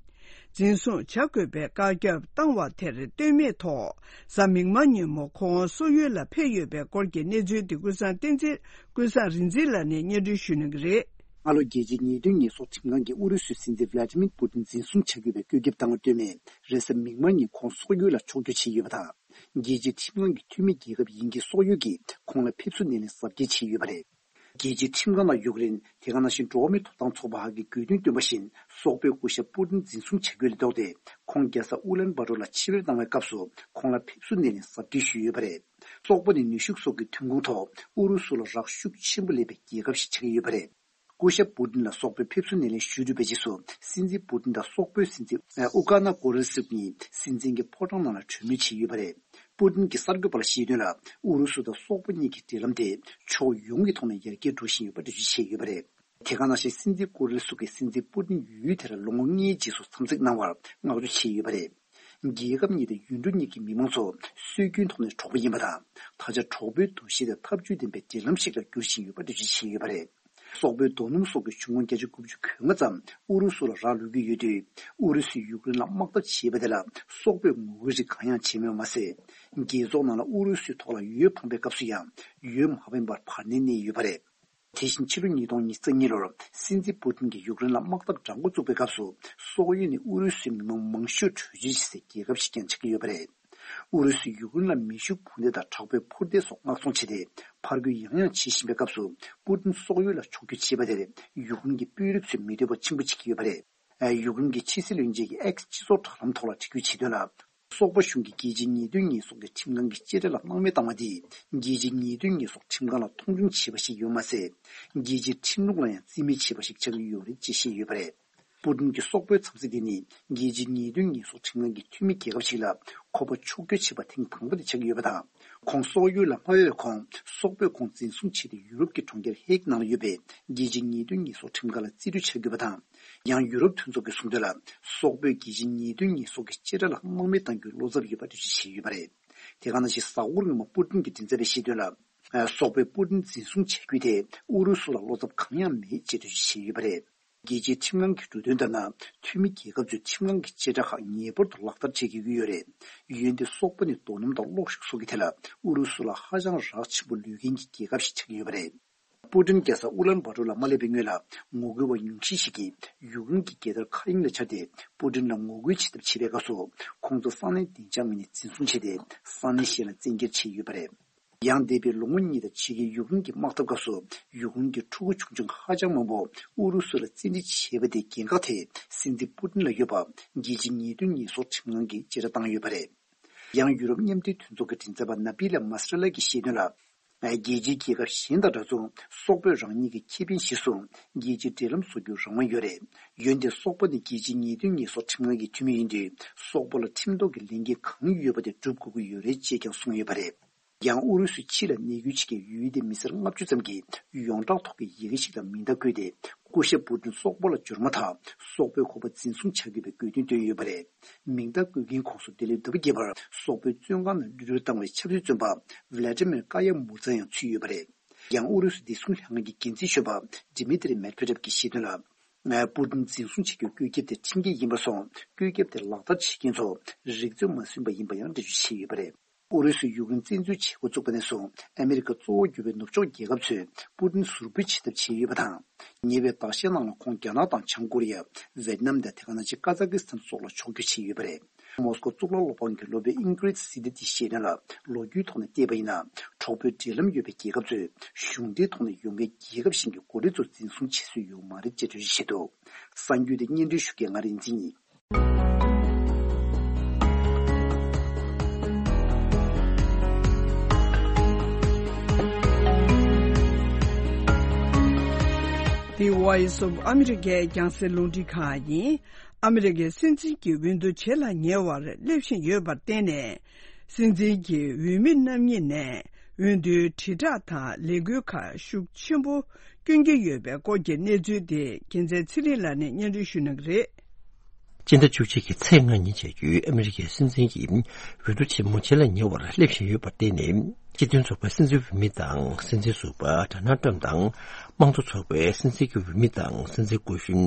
འཛིན་བཟུང་བྱ་དགོས་པའི་བཀའ་ཁྱབ་བཏང་བ་དེར་ལྟོས་མེད་ཐོག་གཟའ་མིག་དམར་ཉིན་མོ་ཁོང་སོག་ཡུལ་ལ་ཕེབས་ཡོད་པའི་སྐོར་གྱི་གནས་ཚུལ་དེ་ཀུན་བཟང་བསྟན་འཛིན། ཀུན་བཟང་རིག་འཛིན་ལགས་ནས་སྙན་སྒྲོན་ཞུ་གནང་གི་རེད། སྔ་ལོ་རྒྱལ་སྤྱིའི་ཉེས་དོན་ཉེས་གསོག་ཁྲིམས་ཁང་གིས་ཨུ་རུ་སུའི་སྲིད་འཛིན་ཝླ་ཏི་མིར་པུ་ཏིན་འཛིན་བཟུང་བྱ་དགོས་པའི་བཀོད་ཁྱབ་བཏང་བར་ལྟོས་མེད། རེས་གཟའ་མིག་དམར་ཉིན་ཁོང་སོག་ཡུལ་ལ་ཕྱོགས་བསྐྱོད་བྱས་ཡོད་པ་དང་། རྒྱལ་སྤྱིའི་ཁྲིམས་ཁང་གི་འཐུས་མི་རྒྱལ་ཁབ་ཡིན་གྱི་སོག་ཡུལ་གྱིས་ཁོང་ལ་ཕེབས་བསུ་སྣེ་ལེན་གཟབ་རྒྱས་བྱས་ཡོད་པ་རེད། རྒྱལ་སྤྱིའི་ཁྲིམས་ཁང་དང་ཡུཀ་རེན། དེ་ག་ནང་བཞིན་འགྲོ་བ་མིའི་ཐོབ་ཐང་ཚོགས་པ་ཧ་གིས་དགོས་འདུན་བཏོན་པ་བཞིན། སོག་པོའི་སྐུ་ཞབས་པུ་ཏིན་འཛིན་བཟུང་བྱ་རྒྱུ་ལས་ལྡོག་སྟེ། ཁོང་རྒྱལ་ས་ཨུ་ལན་བྷ་ཏོར་ལ་ཕྱིར་འབུད་བཏང་བའི་སྐབས་སུ་ཁོང་ལ་ཕེབས་བསུ་སྣེ་ལེན་གཟབ་རྒྱས་ཞུས་ཡོད་པ་རེད། སོག་པོ་ནི་ནུས་ཤུགས་སོགས་ཀྱི་ཐོན་ཁུངས་ཐོག་ཨུ་རུ་སུ་ལ་རག་ཤུགས་ཆེན་པོ་ལས་པའི་རྒྱལ་ཁབ་ཞིག་ཆགས་ཀྱི་ཡོད་པ་རེད། སྐུ་ཞབས་པུ་ཏིན་ལ་སོག་པོས་ཕེབས་བསུ་སྣེ་ལེན་ཞུས་གྲུབ་པའི་རྗེས་སུ། སྲིད་འཛིན་པུ་ཏིན་དང་སོག་པོའི་སྲིད་འཛིན་ཨུ་ཀ་ན་ཀོ་རིལ་སུག་གཉིས་སྲིད་འཛིན་གྱི་ཕོ་བྲང་ནང་ལ་གྲོས་མོལ་བྱས་ཡོད་པ་རེད། པུ་ཏིན་གྱིས་གསར་འགོད་པ་ལ་བཤད་དོན་ལ། ཨུ་རུ་སུ་དང་སོག་པོ་གཉིས་ཀྱི་འབྲེལ་ལམ་དེ་ཕྱོགས་ཡོངས་ཀྱི་ཐོག་ནས་ཡར་རྒྱས་འགྲོ་བཞིན་ཡོད་པ་འགྲེལ་བརྗོད་བྱས་ཡོད་པ་རེད། དེ་ག་ནང་བཞིན་སྲིད་འཛིན་ཀོ་རིལ་སུག་གིས་སྲིད་འཛིན་པུ་ཏིན་ཡུལ་དེར་ལོ་ངོ་ལྔའི་རྗེས་སུ་འཚམས་གཟིགས་གནང་བར་བསྔགས་བརྗོད་བྱས་ཡོད་པ་རེད། རྒྱལ་ཁབ་གཉིས་དང་ཡུལ་གྲུ་གཉིས་ཀྱི་མི་མང་ཚོ་སྲོལ་རྒྱུན་ཐོག་ནས་གྲོགས་པོ་ཡིན་པ་དང་། ད་ཆ་གྲོགས་པོའི་འདུ་ཤེས་དེ་འཐབ་ཇུས་ལྡན་པའི་འབྲེལ་ལམ་ཞིག་ལ་འགྱུར་བཞིན་ཡོད་པ་འགྲེལ་བརྗོད་བྱས་ཡོད་པ་རེད། སོག་པོའི་རྡོ་སྣུམ་སོགས་ཀྱི་གཞུང་ཁོངས་བརྒྱ་ཆ་དགུ་བཅུ་གོ་ལྔ་ཙམ་ཨུ་རུ་སུ་ལ་རག་ལུས་ཀྱི་ཡོད་དུས། ཨུ་རུ་སུས་ཡུཀ་རེན་ལ་དམག་འཐབ་བྱས་པ་དེ་ལ་སོག་པོས་ངོ་རྒོལ་རིགས་གང་ཡང་བྱས་མེད་པ་མ་ཟད། རྒྱལ་ཚོགས་ནང་ལ་ཨུ་རུ་སུའི་ཐོག་ལ་འོས་འཕངས་པའི་སྐབས་སུ་ཡང་འོས་མ་འཕངས་པར་བར་གནས་གནས་ཡོད་པ་རེད། དེ་བཞིན་ཕྱི་ལོ་ཉིས་སྟོང་ཉི་ཤུ་རྩ་གཉིས་ལོར་སྲིད་འཛིན་པུ་ཏིན་གྱིས་ཡུཀ་རེན་ལ་དམག་འཐབ་དྲག་འགོ་བཙུགས་པའི་སྐབས་སུ། སོག་ཡུལ་ནས་ཨུ་རུ་སུའི་མི་མང་མང་ཤོས་བྲོས་བྱོལ་བྱེད་སའི་རྒྱལ་ཁབ་ཞིག་ཀྱང་ཆགས་ཀྱི་ཡོད་པ་རེད། ཨུ་རུ་སུས་ཡུཀ་རེན་ལ་མེ་ཤུགས་འཕུར་མདེལ་དང་དྲག་པོའི་འཕུར་མདེལ་སོགས་མངགས་ཚོང་བྱས་ཏེ། ཕར་རྒོལ་ཡང་ཡང་བྱེད་བཞིན་པའི་སྐབས་སུ། པུ་ཏིན་སོག་ཡུལ་ལ་ཕྱོགས་བསྐྱོད་བྱས་པ་དེར་ཡུཀ་རེན་གྱི་དཔོན་རིགས་ཚོས་མི་འདོད་པ་ཆེན་པོ་བྱེད་ཀྱི་ཡོད་པ་རེད། ཡུཀ་རེན་གྱི་ཕྱི་སྲིད་བློན་ཆེན་གྱིས་ཨེགས་སྤྱི་ཚོགས་དྲ་ལམ་ཐོག་ལ་བྲིས་བཀོད་བྱས་དོན་ལ། སོག་པོ་གཞུང་གིས་རྒྱལ་སྤྱིའི་ཉེས་དོན་ཉེས་གསོག་གི་ཁྲིམས་ཁང་གི་བཅད་ཁྲ་ལ་སྣང་མེད་བཏང་བ་དེས། རྒྱལ་སྤྱིའི་ཉེས་དོན་ཉེས་གསོག་ཁྲིམས་ཁང་ལ་མཐོང་ཆུང་བྱས་པ་ཞིག་ཡོད་མ་ཟད། རྒྱལ་སྤྱིའི་ཁྲིམས་ལུགས་ལ་ཡང་བརྩི་མེད་བྱས་པ་ཞིག་ཆགས་ཀྱི་ཡོད་རེད་ཅེས་བཤད་ཡོད་པ་རེད། པུ་ཏིན་གྱི་སོག་པོའི་འཚམས་གཟིགས་དེ་ནི། རྒྱལ་སྤྱིའི་ཉེས་དོན་ཉེས་གསོག་ཁྲིམས་ཁང་གི་འཐུས་མི་རྒྱལ་ཁབ་ཞིག་ལ་ཁོ་པ་ཕྱོགས་བསྐྱོད་བྱས་པ་ཐེངས་དང་པོ་དེ་ཆགས་ཀྱི་ཡོད་པ་དང་། ཁོང་སོག་ཡུལ་ལ་མ་ཕེབས་པའི་གོང་། སོག་པོས་ཁོང་འཛིན་བཟུང་བྱས་ཏེ། ཡུ་རོབ་ཀྱི་གྲོང་ཁྱེར་ཧེག་ནང་ལ་ཡོད་པའི་རྒྱལ་སྤྱིའི་ཉེས་དོན་ཉེས་གསོག་ཁྲིམས་ཁང་ལ་རྩིས་སྤྲོད་བྱ་དགོས་པ་དང་། ཡང་ཡུ་རོབ་མཐུན་ཚོགས་ཀྱིས་གསུངས་དོན་ལ། སོག་པོས་རྒྱལ་སྤྱིའི་ཉེས་དོན་ཉེས་གསོག་གི་བཅད་ཁྲ་ལ་སྣང་མེད་གཏང་རྒྱུའི་བློ་འཚབ་ཡོད་པ་འགྲེལ་བརྗོད་བྱས་ཡོད་པ་རེད། དེ་ག་ནང་བཞིན་གཟའ་འཁོར་སྔོན་མ་པུ་ཏིན་གྱི་མགྲིན་ཚབ་པས་བཤད་དོན་ལ། སོག་པོས་པུ་ཏིན་འཛིན་བཟུང་བྱ་རྒྱུ་དེ་ཨུ་རུ་སུ་ལ་བློ་འཚབ་གང་ཡང་མེད་ཅེས་འགྲེལ་བརྗོད་བྱས་ཡོད་པ་རེད། རྒྱལ་སྤྱིའི་ཁྲིམས་ཁང་གི་འབྲུ་དོན་ལྟར་ན། འཐུས་མི་རྒྱལ་ཁབ་ཚོས་ཁྲིམས་ཁང་གི་བཅད་ཁྲ་ཁག་ངེས་པར་དུ་ལག་བསྟར་བྱེད་དགོས་ཀྱི་ཡོད་རེད། འོན་ཏེ་སོག་པོ་ནི་རྡོ་སྣུམ་དང་གློག་ཤུགས་སོགས་ཀྱི་ཐད་ལ་ཨུ་རུ་སུ་ལ་ཧ་ཅང་རག་ཆེན་པོ་ལུས་མཁན་གྱི་རྒྱལ་ཁབ་ཞིག་ཆགས་ཀྱི་ཡོད་པ་རེད། པུ་ཏིན་རྒྱལ་ས་ཨུ་ལན་བྷ་ཏོར་ལ་མ་སླེབས་པའི་སྔོན་ལ། ངོ་རྒོལ་བ་ཉུང་ཤས་ཤིག་གིས་ཡུཀ་རེན་གྱི་རྒྱལ་དར་མཁའ་དབྱིངས་ལ་འཕྱར་ཏེ། པུ་ཏིན་ལ་ངོ་རྒོལ་བྱེད་ཐབས་བྱེད་པའི་སྐབས་སུ། ཁོང་ཚོ་ས་གནས་བདེ་འཇགས་མི་སྣས་འཛིན་བཟུང་བྱས་ཏེ། ས་གནས་གཞན་ལ་བཙན་འཁྱེར་བྱས་ཡོད་པ་རེད། ཡང་འདས་པའི་ལོ་ངོ་གཉིས་དང་ཕྱེད་ཀའི་ཡུཀ་རེན་གྱི་དམག་འཐབ་སྐབས་སུ། ཡུཀ་རེན་གྱི་ཕྲུ་གུ་ཆུང་ཆུང་ཧ་ཅང་མང་པོ་ཨུ་རུ་སུ་ལ་བཙན་ཁྲིད་བྱས་པ་དེའི་འགན་ཁག་དེ་སྲིད་འཛིན་པུ་ཏིན་ལ་ཡོད་པ། རྒྱལ་སྤྱིའི་ཉེས་དོན་ཉེས་གསོག་ཁྲིམས་ཁང་གིས་བཅད་ཁྲ་བཏང་ཡོད་པ་རེད། ཡང་ཡུ་རོབ་མཉམ་འབྲེལ་མཐུན་ཚོགས་ཀྱི་མགྲིན་ཚབ་པ་ན་བི་ལ་མ་སི་ར་ལ་གིས་བཤད་དོན་ལ། རྒྱལ་སྤྱིའི་རྒྱལ་ཁབ་གཞན་དང་འདྲ་མཚུངས། སོག་པོས་རང་ཉིད་ཀྱི་ཁེ་ཕན་གཞིར་བཟུང་། རྒྱལ་སྤྱིའི་འབྲེལ་ལམ་བཟོ་རྒྱུར་རང་དབང་ཡོད་རེད། འོན་ཏེ་སོག་པོ་ནི་རྒྱལ་སྤྱིའི་ཉེས་དོན་ཉེས་གསོག་ཁྲིམས་ཁང་གི་འཐུས་མི་ཡིན་དུས། སོག་པོ་ལ་ཁྲིམས་ཐོག་གི་ལས་འགན་གང་ཡོད་པ་དེ་སྒྲུབ་དགོས་ཀྱི་ཡོད་རེད་ཅེས་ཀྱང་གསུངས་ཡོད་པ་རེད། ཡང་ཨུ་རུ་སུའི་ཕྱི་ལ་གནས་སྐྱོད་བྱེད་མཁན་ཡུལ་དེའི་མི་སེར་ལྔ་བཅུ་ཙམ་གྱིས་ཡོངས་གྲགས་ཐོག་གི་ཡི་གེ་ཞིག་ལ་མིང་རྟགས་བཀོད་དེ། སྐུ་ཞབས་པུ་ཏིན་སོག་པོ་ལ་འབྱོར་མ་ཐག་སོག་པོས་ཁོ་པ་འཛིན་བཟུང་བྱ་དགོས་པའི་དགོས་འདུན་བཏོན་ཡོད་པ་རེད། མིང་རྟགས་བཀོད་མཁན་ཁོངས་སུ་འདི་ལོའི་ཟླ་བ་བརྒྱད་པར་སོག་པོའི་བཙོན་ཁང་ནང་གློད་གྲོལ་བཏང་བའི་ཆབ་སྲིད་བཙོན་པ་ཝི་ལ་ཏི་མིར་ཀ་ཡ་མུར་ཛ་ཡང་ཚུད་ཡོད་པ་རེད། ཡང་ཨུ་རུ་སུ་བདེ་སྲུང་ལྷན་ཁང་གི་འགན་འཛིན་གཞོན་པ་ཌི་མི་ཏྲི་མེད་ཕེ་ཏྲེབ་ཀྱིས་བཤད་དོན་ལ། པུ་ཏིན་འཛིན་བཟུང་བྱེད་རྒྱུའི་བཀོད་ཁྱབ་དེ་ཁྲིམས་འགལ་ཡིན་པར་སོང་། བཀོད་ཁྱབ་དེ་ལག་བསྟར་བྱེད་མཁན་ཚོ་རིག་ཚོད་མ་སོན་པ་ཡིན་པ་ཡང་འགྲེལ་བརྗོད་བྱས་ཡོད་པ་རེད། ཨུ་རུ་སུས་ཡུཀ་རེན་བཙན་འཛུལ་བྱེད་འགོ་བཙུགས་པ་ནས་བཟུང་ཨ་མི་རི་ཀ་གཙོ་བོར་གྱུར་པའི་ནུབ་ཕྱོགས་རྒྱལ་ཁབ་ཚོས་པུ་ཏིན་ཟུར་འབུད་བྱེད་ཐབས་བྱས་ཡོད་པ་དང་། ཉེ་བའི་ཟླ་ཤས་ནང་ལ་ཁོང་རྒྱ་ནག་དང་བྱང་ཀོ་རི་ཡ། ཝེད་ནམ་དང་དེ་ག་ནང་བཞིན་ཀ་ཛ་ཀི་སི་ཐན་སོགས་ལ་ཕྱོགས་བསྐྱོད་བྱས་ཡོད་པ་རེད། མོ་སྐོ་གཙུག་ལག་སློབ་ཁང་གི་སློབ་དཔོན་ཨིན་ཀྲིད་སི་ཏི་ཏིས་བཤད་དོན་ལ། ལོ་རྒྱུས་ཐོག་ནས་བལྟས་པ་ཡིན་ན། གྲོགས་པོའི་འབྲེལ་ལམ་ཡོད་པའི་རྒྱལ་ཁབ་ཚོས་གཞུང་འབྲེལ་ཐོག་ནས་ཡོང་མཁན་རྒྱལ་ཁབ་གཞན་གྱི་འགོ་ཁྲིད་ཚོ་འཛིན་བཟུང་བྱེད་སྲོལ་ཡོད་མ་རེད་ཅེས་འགྲེལ་བརྗོད་བྱས་འདུག། གསར་འགྱུར་དེ་སྙན་སྒྲོན་ཞུ་མཁན་ང་རིག་འཛིན་ཡིན། Voice of America རྒྱང་སྲིང་རླུང་འཕྲིན་ཁང་ཡིན། ཨ་མི་རི་ཀའི་སྲིད་འཛིན་གྱི་འོས་བསྡུ་བྱེད་ལ་ཉེ་བར་སླེབས་བཞིན་ཡོད་པར་བརྟེན་ནས། སྲིད་འཛིན་གྱི་འོས་མི་རྣམ་གཉིས་ནས་འོས་བསྡུའི་དྲིལ་བསྒྲགས་དང་ལས་འགུལ་ཁག་ཤུགས་ཆེན་པོ་བསྐྱོན་གྱི་ཡོད་པའི་སྐོར་གྱི་གནས་ཚུལ་དེ་རྒྱལ་མཚན་ཚེ་རིང་ལགས་ནས་སྙན་སྒྲོན་ཞུ་གནང་གི་རེད། སྤྱི་ཟླ་བཅུ་གཅིག་གི་ཚེས་ལྔ་ཉིན་བྱ་རྒྱུའི་ཨ་མི་རི་ཀའི་སྲིད་འཛིན་གྱི་འོས་བསྡུ་ཆེན་མོ་བྱེད་ལ་ཉེ་བར་སླེབས་བཞིན་ཡོད་པར་བརྟེན་ནས། སྤྱི་མཐུན་ཚོགས་པའི་སྲིད་འཛིན་འོས་མི་དང་སྲིད་འཛིན་ཟུར་པ་ཌོ་ནལ་ཊམ་དང་། དམངས་གཙོ་ཚོགས་པའི་སྲིད་འཛིན་གྱི་འོས་མི་དང་སྲིད་འཛིན་སྐུ་གཞོན་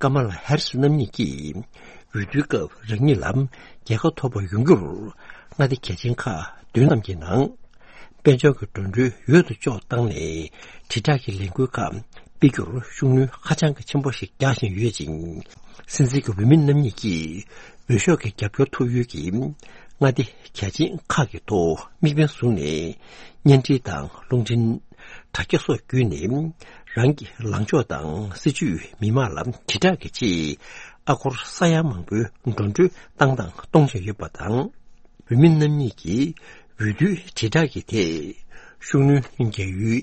ཀ་མ་ལ་ཧེ་རི་སི་རྣམ་གཉིས་ཀྱིས། འོས་བསྡུའི་སྐབས་རང་ཉིད་ལ་རྒྱལ་ཁ་ཐོབ་པ་ཡོང་རྒྱུར་མངའ་སྡེ་གལ་ཆེན་ཁག་བདུན་ཙམ་གྱི་ནང་། དཔལ་འབྱོར་གྱི་འགྲོ་གྲོན་ཡོད་དོ་ཅོག་བཏང་ནས་དྲིལ་བསྒྲགས་ཀྱི་ལས་འགུལ་ཁག་སྤེལ་རྒྱུར་ཤུགས་སྣོན་ཧ་ཅང་གི་ཆེན་པོ་ཞིག་རྒྱག་བཞིན་ཡོད་ཅིང་། སྲིད་འཛིན་གྱི་འོས་མི་རྣམ་གཉིས་ཀྱིས་འོས་ཤོག་གི་རྒྱབ་སྐྱོར་ཐོབ་ཡུལ་གྱི་མངའ་སྡེ་གལ་ཆེན་ཁག་གི་ཐོག་དམིགས་འབེན་བཟུང་ནས། བརྙན་འཕྲིན་དང་རླུང་འཕྲིན། དྲ་རྒྱ་སོགས་བརྒྱུད་ནས་རང་གི་ལངས་ཕྱོགས་དང་སྲིད་བྱུས་མི་མང་ལ་དྲིལ་བསྒྲགས་ཀྱི་ཆེད་ཨ་སྒོར་ས་ཡ་མང་པོའི་འགྲོ་གྲོན་བཏང་དང་གཏོང་བཞིན་ཡོད་པ་དང་། འོས་མི་རྣམ་གཉིས་ཀྱིས་འོས་བསྡུའི་དྲིལ་བསྒྲགས་ཀྱི་ཐད་ཤུགས་སྣོན་རྒྱག་ཡུལ་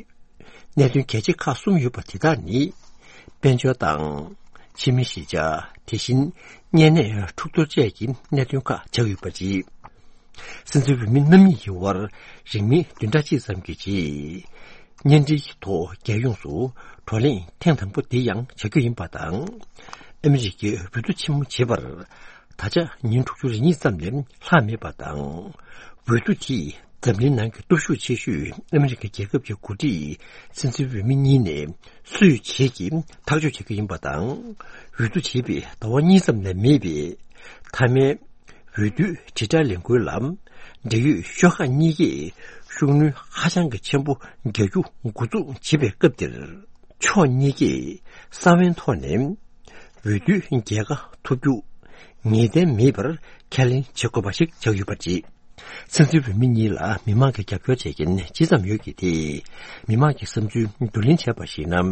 གནད་དོན་གལ་ཆེ་ཁག་གསུམ་ཡོད་པ་དེ་དག་ནི། དཔལ་འབྱོར་དང་། ཕྱི་མི་གཞིས་ཆགས། དེ་བཞིན་གཉན་ནད་འཁྲུག་གཏོར་བཅས་ཀྱི་གནད་དོན་ཁག་ཆགས་ཡོད་པ་རེད། སྲིད་འཛིན་འོས་མི་རྣམ་གཉིས་ཀྱི་དབར་རིང་མིན་བདུན་ཕྲག་གཅིག་ཙམ་གྱི་རྗེས། བརྙན་འཕྲིན་གྱི་ཐོག་རྒྱལ་ཡོངས་སུ་བགྲོ་གླེང་ཐེངས་དང་པོ་འདི་ཡང་བྱ་རྒྱུ་ཡིན་པ་དང་། ཨ་མི་རི་ཀའི་འོས་བསྡུ་ཆེན་མོ་བྱེད་པར། ད་ཆ་ཉིན་དྲུག་ཅུ་རེ་གཉིས་ཙམ་ལས་ལྷག་མེད་པ་དང་། འོས་བསྡུ་དེས་འཛམ་གླིང་ནང་གི་སྟོབས་ཤུགས་ཆེ་ཤོས་ཨ་མི་རི་ཀ་རྒྱལ་ཁབ་ཀྱི་འགོ་ཁྲིད་སྲིད་འཛིན་འོས་མི་གཉིས་ནས་སུས་བྱེད་ཀྱི་ཐག་གཅོད་བྱེད་ཀྱི་ཡིན་པ་དང་། འོས་བསྡུ་བྱས་པའི་ཟླ་བ་གཉིས་ཙམ་ལས་མེད་པའི་མཐའ་མའི་འོས་བསྡུའི་དྲིལ་བསྒྲགས་ལས་འགུལ་ལ། འབྲེལ་ཡོད་ཤོག་ཁག་གཉིས་ཀས་ཤུགས་སྣོན་ཧ་ཅང་གི་ཆེན་པོ་རྒྱག་རྒྱུ་འགོ་འཛུགས་བྱེད་པའི་སྐབས་འདིར། ཕྱོགས་གཉིས་ཀས་ས་བོན་ཐོག་ནས་འོས་བསྡུའི་རྒྱལ་ཁ་ཐོབ་རྒྱུ་ངེས་གཏན་མེད་པར་ཁས་ལེན་བྱེད་དགོས་པ་ཞིག་ཆགས་ཡོད་པ་རེད། སྲིད་འཛིན་འོས་མི་གཉིས་ལ་མི་མང་གིས་རྒྱབ་སྐྱོར་བྱེད་མཁན་ཇི་ཙམ་ཡོད་ཀྱི་དེ། མི་མང་གི་བསམ་ཚུལ་བསྡུ་ལེན་བྱས་པར་གཞིགས་ན།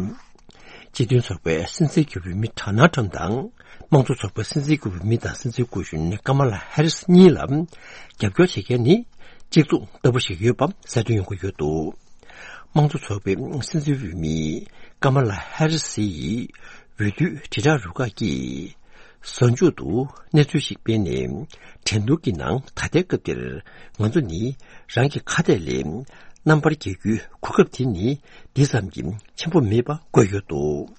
སྤྱི་མཐུན་ཚོགས་པའི་སྲིད་འཛིན་གྱི་འོས་མི་ཌོ་ནལ་ཊམ་དང་། དམངས་གཙོ་ཚོགས་པའི་སྲིད་འཛིན་གྱི་འོས་མི་དང་སྲིད་འཛིན་སྐུ་གཞོན་ཀ་མ་ལ་ཧེ་རི་སི་གཉིས་ལ་རྒྱབ་སྐྱོར་བྱེད་མཁན་ནི་གཅིག་མཚུངས་ལྟ་བུ་ཞིག་ཡོད་པ་གསལ་སྟོན་ཡོང་གི་ཡོད་འདུག་དམངས་གཙོ་ཚོགས་པའི་སྲིད་འཛིན་འོས་མི་ཀ་མ་ལ་ཧེ་རི་སི་ཡིས་འོས་བསྡུའི་དྲིལ་བསྒྲགས་རུ་ཁག་གིས། གཟའ་མཇུག་ཏུ་གནས་ཚུལ་ཞིག་སྤེལ་ནས། འགྲན་བསྡུར་གྱི་ནང་ད་ལྟའི་སྐབས་འདིར་ང་ཚོ་ནི་རང་གི་ཁ་གཏད་ལས་རྣམ་པར་རྒྱལ་རྒྱུའི་གོ་སྐབས་དེ་ནི་འདི་ཙམ་གྱིས་ཆེན་པོ་མེད་པ་བཀོད་ཡོད་འདུག་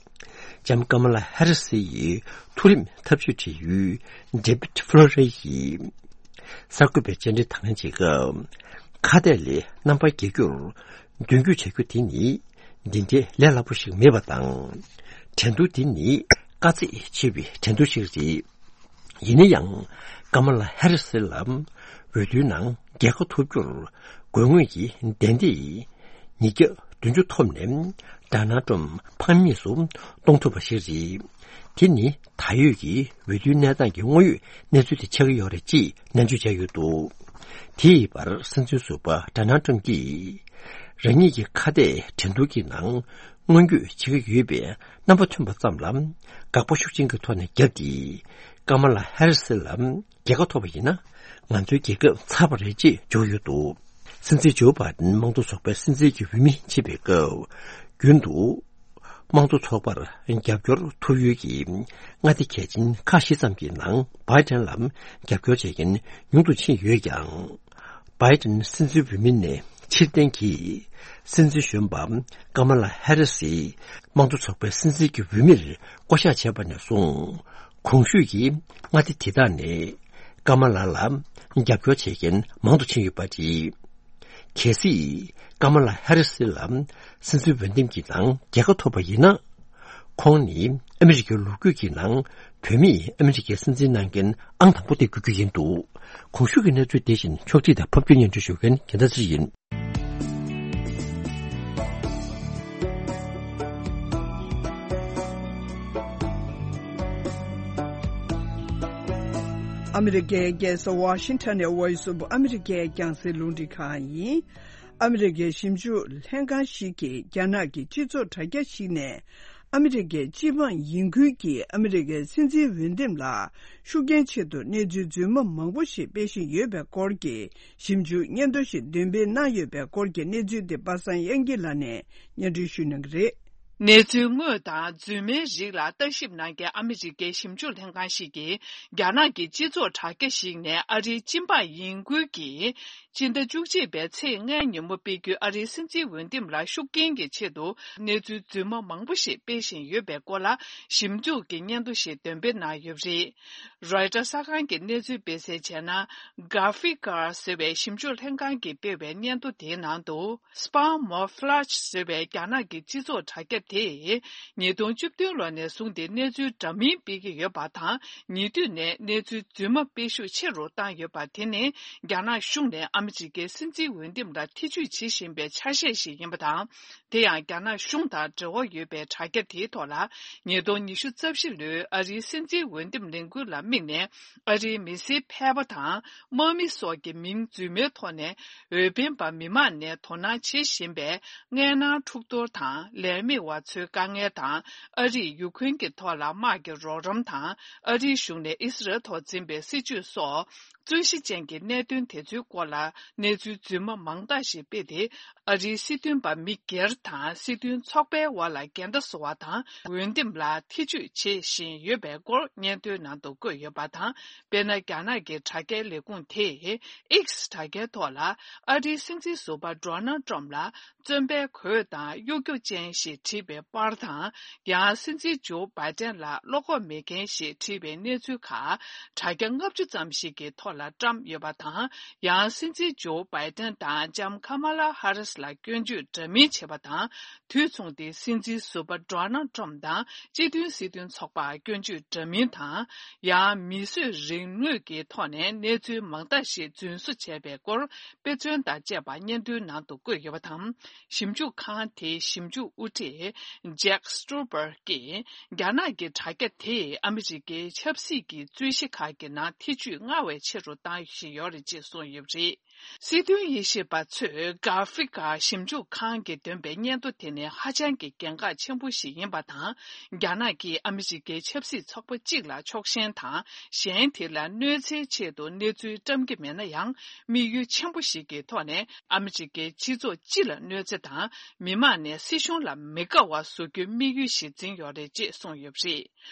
ལྕམ་ཀ་མ་ལ་ཧེ་རི་སི་ཡི་མཐོ་རིམ་ཐབས་ཇུས་འབྲེལ་ཡོད་ཌེ་བིད་ཕློ་རེ་ཡིས་གསར་འགོད་པའི་བཅར་འདྲི་དང་ལེན་བྱེད་སྐབས། ཁ་གཏད་ལས་རྣམ་པར་རྒྱལ་རྒྱུར་མདུན་སྐྱོད་བྱ་རྒྱུ་དེ་ནི། འདི་འདྲའི་ལས་སླ་པོ་ཞིག་མེད་པ་དང་། འགྲན་བསྡུར་འདི་ནི་དཀའ་ཚེགས་ཆེ་བའི་འགྲན་བསྡུར་ཞིག་རེད། ཡིན་ན་ཡང་། ཀ་མ་ལ་ཧེ་རི་སི་ལ་འོས་བསྡུའི་ནང་རྒྱལ་ཁ་ཐོབ་རྒྱུར་དགོས་ངེས་ཀྱི་གདན་འདི་ཉིས་བརྒྱ་བདུན་ཅུ་ཐོབ་ནས་ཌོ་ནལ་ཊམ་ཕམ་ཉེས་སུ་གཏོང་ཐུབ་པ་ཞིག་རེད། དེ་ནི་ད་ཡོད་ཀྱི་འོས་བསྡུའི་གནས་སྟངས་ཀྱི་དངོས་ཡོད་གནས་ཚུལ་དེ་ཆགས་ཀྱི་ཡོད་རེད་ཅེས་ནན་བརྗོད་བྱས་ཡོད་འདུག་དེའི་བར་སྲིད་འཛིན་ཟུར་པ་ཌོ་ནལ་ཊམ་གྱིས། རང་ཉིད་ཀྱི་ཁ་གཏད་འགྲན་བསྡུར་གྱི་ནང་མངོན་འགྱུར་བྱེད་ཀྱི་ཡོད་པའི་རྣམ་པ་ཐོན་པ་ཙམ་ལ་དགག་པ་ཤུགས་ཆེན་གྱི་ཐོག་ནས་བརྒྱབ་སྟེ། ཀ་མ་ལ་ཧེ་རི་སི་ལ་རྒྱལ་ཁ་ཐོབ་པ་ཡིན་ན། ང་ཚོའི་རྒྱལ་ཁབ་ཚར་བ་རེད་ཅེས་བརྗོད་ཡོད་འདུག་སྲིད་འཛིན་ཇོ་བྷའི་ཌེན་དམངས་གཙོ་ཚོགས་པའི་སྲིད་འཛིན་གྱི་འོས་མི་བྱེད་པའི་སྐབས། རྒྱུན་དུ། དམངས་གཙོ་ཚོགས་པར་རྒྱབ་སྐྱོར་ཐོབ་ཡུལ་གྱི་མངའ་སྡེ་གལ་ཆེན་ཁག་བཞི་ཙམ་གྱི་ནང་བྷའི་ཌེན་ལ་རྒྱབ་སྐྱོར་བྱེད་མཁན་ཉུང་དུ་ཕྱིན་ཡོད་ཀྱང་། བྷའི་ཌེན་སྲིད་འཛིན་འོས་མི་ནས་ཕྱིར་འཐེན་གྱིས། སྲིད་འཛིན་གཞོན་པ་ཀ་མ་ལ་ཧེ་རི་སི་དམངས་གཙོ་ཚོགས་པའི་སྲིད་འཛིན་གྱི་འོས་མིར་བསྐོ་གཞག་བྱས་པ་ནས་བཟུང་། གོང་ཞུས་ཀྱི་མངའ་སྡེ་དེ་དག་ནས་ཀ་མ་ལ་ལ་རྒྱབ་སྐྱོར་བྱེད་མཁན་མང་དུ་ཕྱིན་ཡོད་པ་རེད། གལ་སྲིད་ཀ་མ་ལ་ཧེ་རི་སི་ལ་སྲིད་འཛིན་འོས་འདེམས་ཀྱི་ནང་རྒྱལ་ཁ་ཐོབ་པ་ཡིན་ན། ཁོང་ནི་ཨ་མི་རི་ཀའི་ལོ་རྒྱུས་ཀྱི་ནང་བུད་མེད་ཨ་མི་རི་ཀའི་སྲིད་འཛིན་གནང་མཁན་ཨང་དང་པོ་དེ་དགོས་རྒྱུ་ཡིན་འདུག་གོང་ཞུས་ཀྱི་གནས་ཚུལ་དེ་བཞིན་ཕྱོགས་སྒྲིག་དང་ཕབ་སྒྱུར་སྙན་སྒྲོན་ཞུ་མཁན་རྒྱལ་མཚན་ཚེ་རིང་ཡིན། ཨ་མི་རི་ཀའི་རྒྱལ་ས་ཝ་ཤིང་ཊོན་ནས་Voice of America རྒྱང་སྲིང་རླུང་འཕྲིན་ཁང་ཡིན། ཨ་མི་རི་ཀའི་ཞིབ་འཇུག་ལྷན་ཁང་ཞིག་གིས་རྒྱ་ནག་གི་སྤྱི་ཚོགས་དྲ་རྒྱ་ཞིག་ནས། ཨ་མི་རི་ཀའི་སྤྱི་འབངས་ཡིན་ཁུལ་གྱིས་ཨ་མི་རི་ཀའི་སྲིད་འཛིན་འོས་འདེམས་ལ་ཤུགས་རྐྱེན་ཆེད་དུ་གནས་ཚུལ་རྫུན་མ་མང་པོ་ཞིག་སྤེལ་བཞིན་ཡོད་པའི་སྐོར་གྱི་ཞིབ་འཇུག་སྙན་ཐོ་ཞིག་འདོན་སྤེལ་གནང་ཡོད་པའི་སྐོར་གྱི་གནས་ཚུལ་དེ་པ་སངས་དབྱངས་སྐྱིད་ལགས་ནས་སྙན་སྒྲོན་ཞུ་གནང་གི་རེད། གནས་ཚུལ་དངོས་དང་རྫུན་མའི་རིགས་ལ་ལྟ་ཞིབ་གནང་མཁན་ཨ་མི་རི་ཀའི་ཞིབ་འཇུག་ལྷན་ཁང་ཞིག་གིས། རྒྱ་ནག་གི་སྤྱི་ཚོགས་དྲ་རྒྱ་ཞིག་ནས་ཨ་རིའི་སྤྱི་འབངས་ཡིན་ཁུལ་གྱིས། ཕྱི་ཟླ་བཅུ་གཅིག་པའི་ཚེས་ལྔའི་ཉིན་མོ་སྤེལ་རྒྱུའི་ཨ་རིའི་སྲིད་འཛིན་འོས་འདེམས་ལ་ཤུགས་རྐྱེན་གྱི་ཆེད་དུ་གནས་ཚུལ་རྫུན་མ་མང་པོ་ཞིག་སྤེལ་བཞིན་ཡོད་པའི་སྐོར་ལ། ཞིབ་འཇུག་གི་སྙན་ཐོ་ཞིག་འདོན་སྤེལ་གནང་ཡོད་པ་རེད། རོའི་ཊར་གསར་ཁང་གིས་གནས་ཚུལ་སྤེལ་གསལ་བྱས་ན། Gafikar ཟེར་བའི་ཞིབ་འཇུག་ལྷན་ཁང་གིས་སྤེལ་བའི་སྙན་ཐོ་དེའི་ནང་དུ། Spamouflage ཟེར་བའི་རྒྱ་ནག་གི་སྤྱི་ཚོགས་དྲ་རྒྱ་དེས། ཉིས་སྟོང་བཅུ་བདུན་ལོ་ནས་བཟུང་སྟེ་གནས་ཚུལ་འདྲ་མིན་སྤེལ་གྱི་ཡོད་པ་དང་། ཉེ་དུས་ནས་གནས་ཚུལ་རྫུན་མ་སྤེལ་ཤུགས་ཆེ་རུ་བཏང་ཡོད་པ་དེ་ནི། རྒྱ་ནག་གཞུང་ནས་ཨ་མི་རི་ཀའི་སྲིད་འཛིན་འོས་འདེམས་ལ་ཐེ་ཇུས་བྱེད་བཞིན་པའི་ཆ་ཤས་ཤིག་ཡིན་པ་དང་། དེ་ཡང་རྒྱ་ནག་གཞུང་དང་འབྲེལ་བ་ཡོད་པའི་དྲ་རྒྱ་དེའི་ཐོག་ལ། ཉིས་སྟོང་ཉི་ཤུ་རྩ་བཞི་ལོའི་ཨ་རིའི་སྲིད་འཛིན་འོས་འདེམས་ལས་འགུལ་ལ་དམིགས་ནས། ཨ་རིའི་མི་སེར་ཕལ་པ་དང་། དམག་མི་སོགས་ཀྱི་མིང་རྫུན་མའི་ཐོག་ནས། འོས་འཕེན་པ་མི་མང་ནས་དོ་སྣང་བྱེད་བཞིན་པའི། མངལ་ནང་འཁྲུག་གཏོར་དང་། ལས་མེད་པ་ཚོའི་དཀའ་ངལ་དང་། ཨ་རིས་ཡུ་ཁུན་གྱི་ཐོག་ལ་དམག་གི་རོགས་རམ་དང་། ཨ་རིའི་གཞུང་ནས་ཨི་སི་རལ་ཐོག་འཛིན་པའི་སྲིད་བྱུས་སོགས། རྩོད་གཞི་ཅན་གྱི་གནད་དོན་དེ་ཚོའི་སྐོར་ལ་གནས་ཚུལ་རྫུན་མ་མང་དག་ཞིག་སྤེལ་ཏེ། ཨ་རིའི་སྲིད་དོན་པ་མི་སྒེར་དང་སྲིད་དོན་ཚོགས་པའི་དབར་ལ་འགལ་ཟླ་བཟོ་བ་དང་། འོས་འདེམས་ལ་ཐེ་ཇུས་བྱེད་བཞིན་ཡོད་པའི་སྐོར་སྙན་ཐོའི་ནང་དུ་བཀོད་ཡོད་པ་དང་། དཔེར་ན། རྒྱ་ནག་གི་དྲ་རྒྱའི་ལས་ཁུངས་དེས། X དྲ་རྒྱའི་ཐོག་ལ། ཨ་རིའི་སྲིད་འཛིན་ཟུར་པ་Donald Trump ལ། བཙོན་པའི་གོས་དང་གཡོ་སྒྱུ་ཅན་ཞེས་བྲིས་པའི་པར་དང་། ཡང་སྲིད་འཛིན་ཇོ་བྷའི་ཏན་ལ་བློ་ཁོག་མེད་མཁན་ཞེས་བྲིས་པའི་གནས་ཚུལ་ཁག་དྲ་རྒྱ་ལྔ་བཅུ་ཙམ་ཞིག་གི་ཐོག་ལ་བཀྲམ་ཡོད་པ་དང་། ཡང་སྲིད་འཛིན་ཇོ་བྷའི་ཏན་དང་ལྕམ་ཁ་མ་ལ་ཧ་རིས་ལ་སྐྱོན་བརྗོད་འདྲ་མིན་བྱས་པ་དང་། དུས་མཚུངས་ཏེ་སྲིད་འཛིན་ཟུར་པ་Donald Trump དང་སྤྱི་མཐུན་སྲིད་དོན་ཚོགས་པར་སྐྱོན་བརྗོད་འདྲ་མིན་དང་། ཡང་མིས་བཟོས་རིག་དངོས་ཀྱི་ཐོག་ནས་གནས་ཚུལ་མང་དག་ཞིག་རྫུན་བཟོ་བྱས་པའི་སྐོར། དཔེ་མཚོན་དང་བཅས་པ་སྙན་ཐོའི་ནང་དུ་བཀོད་ཡོད་པ་དང་། ཞིབ་འཇུག་ཁང་དེའི་ཞིབ་འཇུག་དབུ་ཁྲིད་Jack Struber གྱིས། རྒྱ་ནག་གི་དྲ་རྒྱ་དེས་ཨ་མི་རི་ཀའི་ཆབ་སྲིད་ཀྱི་རྩོད་གཞི་ཁག་གི་ནང་ཐེ་ཇུས་སྔར་བས་ཆེ་རུ་བཏང་བཞིན་ཡོད་རེད་ཅེས་གསུངས་ཡོད་པ་རེད། སྲིད་དོན་དབྱེ་ཞིབ་པ་ཚོས་Gafikar ཞིབ་འཇུག་ཁང་གིས་འདོན་པའི་སྙན་ཐོ་དེ་ནི་ཧ་ཅང་གི་གལ་འགངས་ཆེན་པོ་ཞིག་ཡིན་པ་དང་། རྒྱ་ནག་གིས་ཨ་མི་རི་ཀའི་ཆབ་སྲིད་ཚོགས་པ་གཅིག་ལ་ཕྱོགས་ཞེན་དང་། གཞན་དེ་ལ་གནོད་འཚེའི་ཆེད་དུ་གནས་ཚུལ་བཀྲམ་གྱི་མེད་ན་ཡང་། དམིགས་ཡུལ་ཆེན་པོ་ཞིག་གི་ཐོག་ནས་ཨ་མི་རི་ཀའི་སྤྱི་ཚོགས་སྤྱི་ལ་གནོད་འཚེ་དང་། མི་མང་ནས་སྲིད་གཞུང་ལ་མི་དགའ་བ་བཟོ་རྒྱུའི་དམིགས་ཡུལ་ཞིག་འཛིན་ཡོད་རེད་ཅེས་གསུངས་ཡོད་པ་རེད།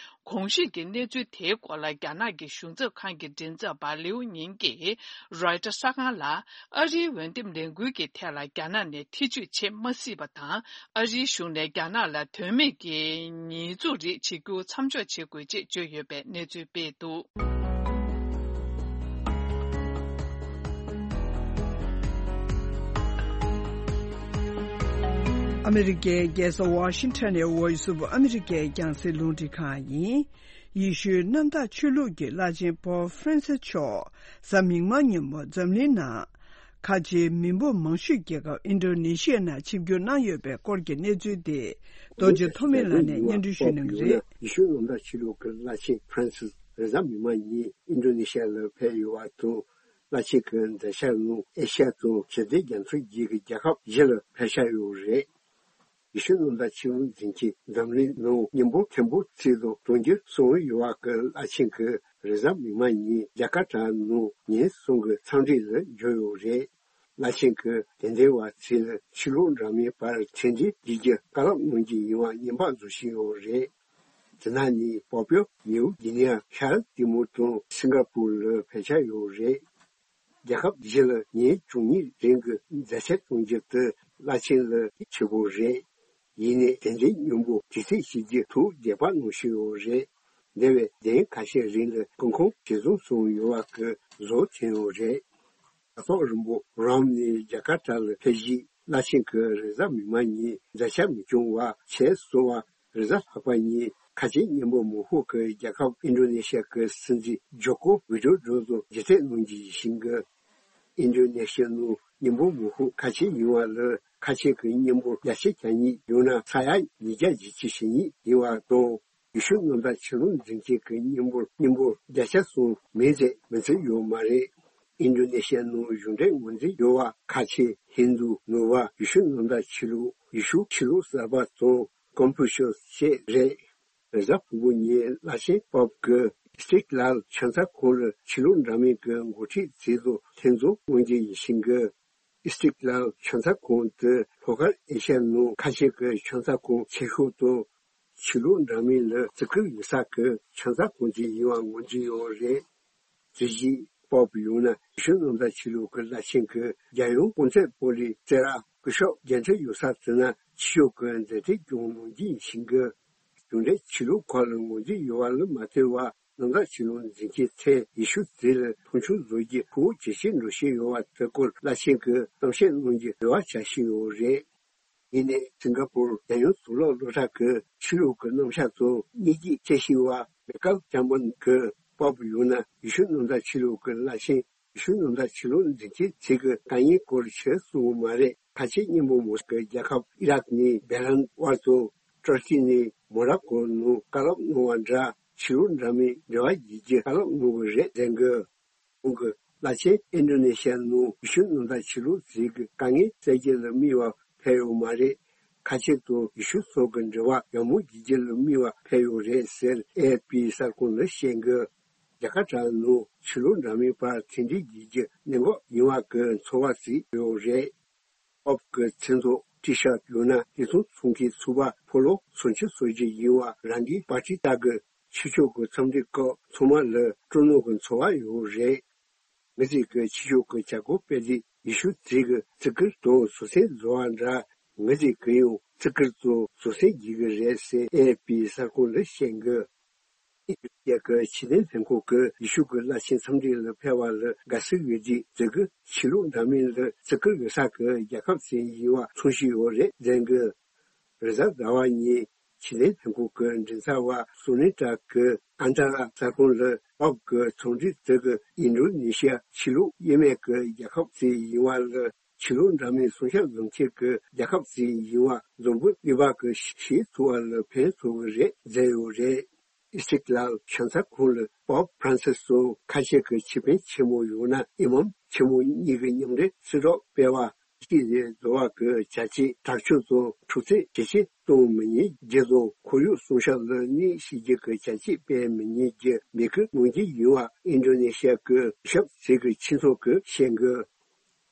གོང་ཞུས་ཀྱི་གནས་ཚུལ་དེའི་སྐོར་ལ་རྒྱ་ནག་གི་གཞུང་ཚབ་ཁང་གི་མགྲིན་ཚབ་པ་ལིའུ་ཉིང་གིས་རོའི་ཊར་གསར་ཁང་ལ། ཨ་རིའི་འོས་འདེམས་ལས་འགུལ་གྱི་ཐད་ལ་རྒྱ་ནག་ནས་ཐེ་ཇུས་བྱེད་མ་སྲིད་པ་དང་། ཨ་རིའི་གཞུང་ནས་རྒྱ་ནག་ལ་དོན་མེད་ཀྱི་ཉེས་འཛུགས་རིགས་བྱེད་རྒྱུ་མཚམས་འཇོག་བྱེད་དགོས་ཅེས་བརྗོད་ཡོད་པའི་གནས་ཚུལ་སྤེལ་འདུག། ཨ་མི་རི་ཀའི་རྒྱལ་ས་ཝ་ཤིང་ཊོན་ནས་Voice of America ཡི་རྒྱང་སྲིང་རླུང་འཕྲིན་ཁང་ཡིན། ཡེ་ཤུའི་གནམ་བདག་ཆོས་ལུགས་ཀྱི་བླ་ཆེན་པོབ་ཧྥ་རན་སི་མཆོག་གཟའ་མིག་དམར་ཉིན་མོ་འཛམ་གླིང་ནང་ཁ་ཆེའི་མི་འབོར་མང་ཤོས་རྒྱལ་ཁབ་ཨིན་ཌོ་ནེ་ཤི་ཡ་ནང་ཆིབས་བསྒྱུར་གནང་ཡོད་པའི་སྐོར་གྱི་གནས་ཚུལ་དེ་རྡོ་རྗེ་ཐོགས་མེད་ལགས་ནས་སྙན་སྒྲོན་ཞུ་གནང་གི་རེད། ཡེ་ཤུ་གནམ་བདག་ཆོས་ལུགས་ཀྱི་བླ་ཆེན་ཧྥ་རན་སིས་རེས་གཟའ་མིག་དམར་ཉིན་ཨིན་ཌོ་ནེ་ཤི་ཡ་ལ་ཕེབས་ཡོད་པ་དང་། བླ་ཆེན་གྱི་མཛད་འཆར་ནང་ཨེ་ཤ་ཡ་དང་ཞི་བདེ་རྒྱ་མཚོ་བརྒྱུད་ཀྱི་རྒྱལ་ཁབ་བཞི་ལ་ཕེབས་འཆར་ཡོད་རེད། ཡེ་ཤུ་གནམ་བདག་ཆོས་ལུགས་འཛིན་མཁན་འཛམ་གླིང་ནང་མི་འབོར་ཆེན་པོ་ཚད་དུ་གཏོང་རྒྱུ་གསུངས་ཡོད་པ་གི་བླ་ཆེན་གྱིས་རེས་གཟའ་མིག་དམར་ཉིན་ཇ་ཀར་ཏ་ནང་ཉིན་གསུམ་གྱི་འཚམས་འདྲི་ལ་འབྱོར་ཡོད་རེད། བླ་ཆེན་གྱིས་དད་ལྡན་པ་ཚོ་ལ་ཆོས་ལུགས་འདྲ་མིན་བར་མཐུན་སྒྲིལ་བྱེད་རྒྱུ་བཀའ་སློབ་གནང་རྒྱུ་ཡིན་པ་བརྙན་པར་བཟོ་བཞིན་ཡོད་རེད། དེ་ནང་ནས་པོ་པིའོ་ནིའུ་གྷི་ནི་ཡ་ཤར་ལྟད་མོ་དང་སིང་ག་པུར་ལ་ཕེབས་འཆར་ཡོད་རེད། རྒྱལ་ཁབ་བཞི་ལ་ཉིན་བཅུ་གཉིས་རིང་གི་མཛད་འཆར་གཏོང་རྒྱུ་དེ་བླ་ཆེན་ལ་གལ་ཆེ་པོ་རེད། ཡིན་ནའི་དེ་འདྲའི་མཉམ་པོ་དུས་ཚོད་བྱེད་རྒྱུ་ཐུགས་དགྱེས་པ་གནང་བཞིན་ཡོད་རེད། འདས་པའི་ཟླ་ཁ་ཤས་རིང་ལ་སྐུ་ཁམས་ཇེ་བཟང་སོང་ཡོད་པ་གི་བཟོ་ཐོན་ཡོད་རེད། དྲ་ཐོག་རིང་པོ་རོམ་ནས་ཇ་ཀར་ཏ་ལ་ཕེབས་རྗེས་བླ་ཆེན་གྱིས་རེས་གཟའ་མིག་དམར་ཉིན་མཛད་འཆར་མི་བྱུང་བ་བྱས་སོང་བ། རེས་གཟའ་ལྷག་པ་ཉིན་ཁ་ཆེ་མཉམ་པོ་མང་ཤོས་ཀྱི་རྒྱལ་ཁབ་ཨིན་ཌོ་ནེ་ཤི་ཡ་གི་སྲིད་འཛིན་ཇོ་ཀོ་ཝི་ཌོ་ཌོ་དང་མཇལ་འཕྲད་གནང་རྒྱུ་ཡིན་ཞིང་གི། ཨིན་ཌོ་ནེ་ཤི་ཡ་ནང་མཉམ་པོ་མང་ཤོས་ཁ་ཆེ་ཡིན་པ་ལ་ཁ་ཆེ་གི་མཉམ་པོ་བརྒྱ་ཆ་གྱ་གཉིས་ཡང་ན་ས་ཡ་ཉིས་བརྒྱ་ཞེ་གཉིས་ཡིན་པ་དང་། ཡེ་ཤུ་གནམ་བདག་ཆོས་ལུགས་འཛིན་མཁན་གྱི་མཉམ་པོ་མཉམ་པོ་བརྒྱ་ཆ་གསུམ་མིན་ཚད་མི་ཚོད་ཡོད་མ་རེད། ཨིན་ཌོ་ནེ་ཤི་ཡ་ནང་གཞུང་འབྲེལ་ངོས་འཛིན་ཡོད་པ་ཁ་ཆེ་ཧིན་དུ་ནུབ་པ་ཡེ་ཤུ་གནམ་བདག་ཆོས་ལུགས་ཡེ་ཤུ་ཆོས་ལུགས་གསར་པ་དང་ཀོན་ཕུ་ཤུ་སི་བཅས་རེད། རེས་གཟའ་ཕུར་བུ་ཉིན་བླ་ཆེན་པོབ་ཀྱིས་སི་ཊིག་ལལ་ཕྱག་འཚལ་ཁང་ལ་ཆོས་ལུགས་འདྲ་མིན་གྱི་འགོ་ཁྲིད་ཚོ་དང་ལྷན་འཛོམས་གནང་རྒྱུ་ཡིན་ཞིང་གི། ཨི་སི་ཊིག་ལལ་ཆང་ས་ཁང་དེ་ལྷོ་ཤར་ཨེ་ཤ་ཡའི་ནང་ཁ་ཤས་ཀྱི་ཆང་ས་ཁང་ཆེ་ཤོས་དང་། ཆོས་ལུགས་འདྲ་མིན་ལ་བརྩི་བཀུར་ཡོད་ས་ཀྱི་ཆང་ས་ཁང་ཅིག་ཡིན་པ་ངོས་འཛིན་ཡོད་རེད། དེ་བཞིན་པོབ་ཡང་ན་ཡེ་ཤུ་གནམ་བདག་ཆོས་ལུགས་ཀྱི་བླ་ཆེན་གྱི་རྒྱལ་ཡུམ་ཀོན་སྟན་པོ་ལི་རྩེ་ར་སྐུ་ཞབས་བརྒྱད་ཁྲི་ཡོད་ས་དེ་ན་ཆོས་ཕྱོགས་ཀྱི་མཛད་འཕྲིན་ཀྱང་ནམ་རྒྱུན་ཡིན་ཞིང་གི། གཞུང་འབྲེལ་ཆོས་ལུགས་ཁག་ལ་ངོས་འཛིན་ཡོད་པ་ལ་མ་ལྟོས་པར། གནམ་བདག་ཆོས་ལུགས་འཛིན་མཁན་ཚོས་ཡེ་ཤུ་མཛད་ལ་མཐོང་ཆུང་བཟོ་རྒྱུ་ཤུགས་ཇེ་ཆེར་འགྲོ་བཞིན་ཡོད་པ་དེ་སྐོར་བླ་ཆེན་གྱིས་གཏམ་བཤད་གནང་རྒྱུ་རེ་བ་བྱ་བཞིན་ཡོད་རེད། ཡིན་ནའི་སིང་ག་པུར་རྒྱལ་ཡོངས་དུག་སློག་སློབ་གྲྭ་གི་ཆོས་ལུགས་ཀྱི་རྣམ་གཞག་ཚོ་གཉིས་ཀྱིས་བཤད་བཞིན་པ་མེ་ཀལ་ཇམ་པོན་གྱིས་པོབ་ཡང་ན་ཡེ་ཤུ་གནམ་བདག་ཆོས་ལུགས་ཀྱི་བླ་ཆེན། ཡེ་ཤུ་གནམ་བདག་ཆོས་ལུགས་འཛིན་མཁན་ཚོས་ཀྱི་དཀའ་ངལ་སྐོར་ཕྱིར་གསུངས་པ་མ་རེད། ཁ་ཆེ་མཉན་པོ་མོ་སི་ཀོའི་རྒྱལ་ཁབ་ཨི་རག་ནས་བེ་རན་དབར་དུ་ཏུར་ཀི་ནས་མོ་རོ་ཀོ་ནང་བཀའ་སློབ་གནང་བ་འདྲ་ཆོས་ལུགས་འདྲ་མིན་འབྲེལ་བ་བྱེད་རྒྱུ་བཀའ་སློབ་གནང་གི་རེད་ཟེར་གི། ཁོང་གི་བླ་ཆེན་ཨིན་ཌོ་ནེ་ཤི་ཡ་ནང་ཡེ་ཤུ་གནམ་བདག་ཆོས་ལུགས་ཚོས་ཀྱི་དཀའ་ངལ་སེལ་རྒྱུ་ལ་དམིགས་པ་ཕེབས་ཡོད་མ་རེད། ཁ་ཆེ་དང་ཡེ་ཤུ་སོགས་ཀྱི་འབྲེལ་བ་ཡག་མོ་བྱེད་རྒྱུ་ལ་དམིགས་པ་ཕེབས་ཡོད་རེད་ཟེར་ཨེ་ཨེཕ་པི་གསར་ཁང་ལ་བཤད་གི། རྒྱ་གར་གྲས་ནང་ཆོས་ལུགས་འདྲ་མིན་བར་མཐུན་སྒྲིལ་བྱེད་རྒྱུ་གནད་འགག་ཡིན་པ་གི་ཚོར་བ་ཞིག་ཡོད་རེད། པོབ་ཀྱི་མཚན་ཐོག་ཊི་ཤར་ཡང་ན་ལི་ཐང་ཚོང་མཁན་ཚོགས་པ་ཕོ་ལོ་སོ་བཅུ་སོ་བརྒྱད་ཡིན་པ་རང་གི་པར་ཊི་ལྟར་གི་ཆོས་ཕྱོགས་ཀྱི་འཚམས་འདྲི་སྐབས་ཚང་མ་ལ་སྤྲོ་སྣང་གི་ཚོར་བ་ཡོད་རེད། ང་ཚོས་ཀྱི་ཆོས་ཕྱོགས་ཀྱི་བྱ་སྒོ་སྤེལ་དུས་ཡེ་ཤུ་ཚོས་ཀྱི་བརྩི་བཀུར་དང་བཟོད་བསྲན་བཟོ་བ་འདྲ། ང་ཚོས་ཀྱི་ཡང་བརྩི་བཀུར་དང་བཟོད་བསྲན་བྱེད་ཀྱི་རེད་ཟེར་ཨེ་ཨེཕ་པི་གསར་ཁང་ལ་བཤད་གི། ཨི་ཐི་ཡོ་པི་ཡ་གི་ཕྱི་དོན་ལྷན་ཁང་གིས་ཡེ་ཤུ་གི་བླ་ཆེན་འཚམས་འདྲི་ལ་ཕེབས་པ་ལ་དགའ་བསུ་ཡོད་དུས་དེ་གི་ཆོས་ལུགས་འདྲ་མིན་ལ་བརྩི་བཀུར་ཡོད་ས་གི་རྒྱལ་ཁབ་ཅིག་ཡིན་པ་མཚོན་བཞིན་ཡོད་རེད་ཟེར་གི། རེས་གཟའ་ཟླ་བ་ཉིན་ཕྱི་དོན་ལྷན་ཁང་གི་མགྲིན་ཚབ་པ་སོ་ནི་ཀྲ་གིས་ཨན་ཀ་ར་གསར་ཁང་ལ་པོབ་ཀྱི་ཚོགས་འདུ་དེ་གི་ཨིན་ཌོ་ནེ་ཤི་ཡ་ཆོས་ལུགས་དབྱེ་མེད་ཀྱི་རྒྱལ་ཁབ་ཅིག་ཡིན་པ་ལ་ཆོས་ལུགས་འདྲ་མིན་སྲུང་སྐྱོབ་བཟོ་མཁན་གྱི་རྒྱལ་ཁབ་ཅིག་ཡིན་པ་འཛམ་བུ་གླིང་པ་གི་ཤེས་ཚོར་བ་ལ་ཕན་ཐོགས་ཀྱི་རེད་ཟེར་ཡོད་རེད། ཨི་སི་ཊིག་ལལ་ཆང་ས་ཁང་ལ་པོབ་ཕ་རན་སིས་སོགས་ཁ་ཤས་ཀྱི་ཆོས་དཔོན་ཆེན་མོ་ཡང་ན་ཨི་མམ་ཆེན་མོ་གཉིས་ཀྱི་མཉམ་འབྲེལ་གསལ་བསྒྲགས་སྤེལ་བ། ཤི་ལས་བཟོ་བ་གི་བྱ་སྤྱོད་དྲག་སྤྱོད་དང་འཁྲུག་རྩོད་ཇེ་ཆེ་གཏོང་མི་ཉན་རྒྱུ་དང་ཁོར་ཡུག་སྲུང་སྐྱོབ་ལ་གནོད་བྱེད་རྒྱུ་གི་བྱ་སྤྱོད་སྤེལ་མི་ཉན་རྒྱུ་འབོད་སྐུལ་གནང་རྒྱུ་ཡིན་པ་ཨིན་ཌོ་ནེ་ཤི་ཡ་གི་ཞབས་ཚིག་གི་ཁྱིམ་ཚང་གིས་བཤད་གི།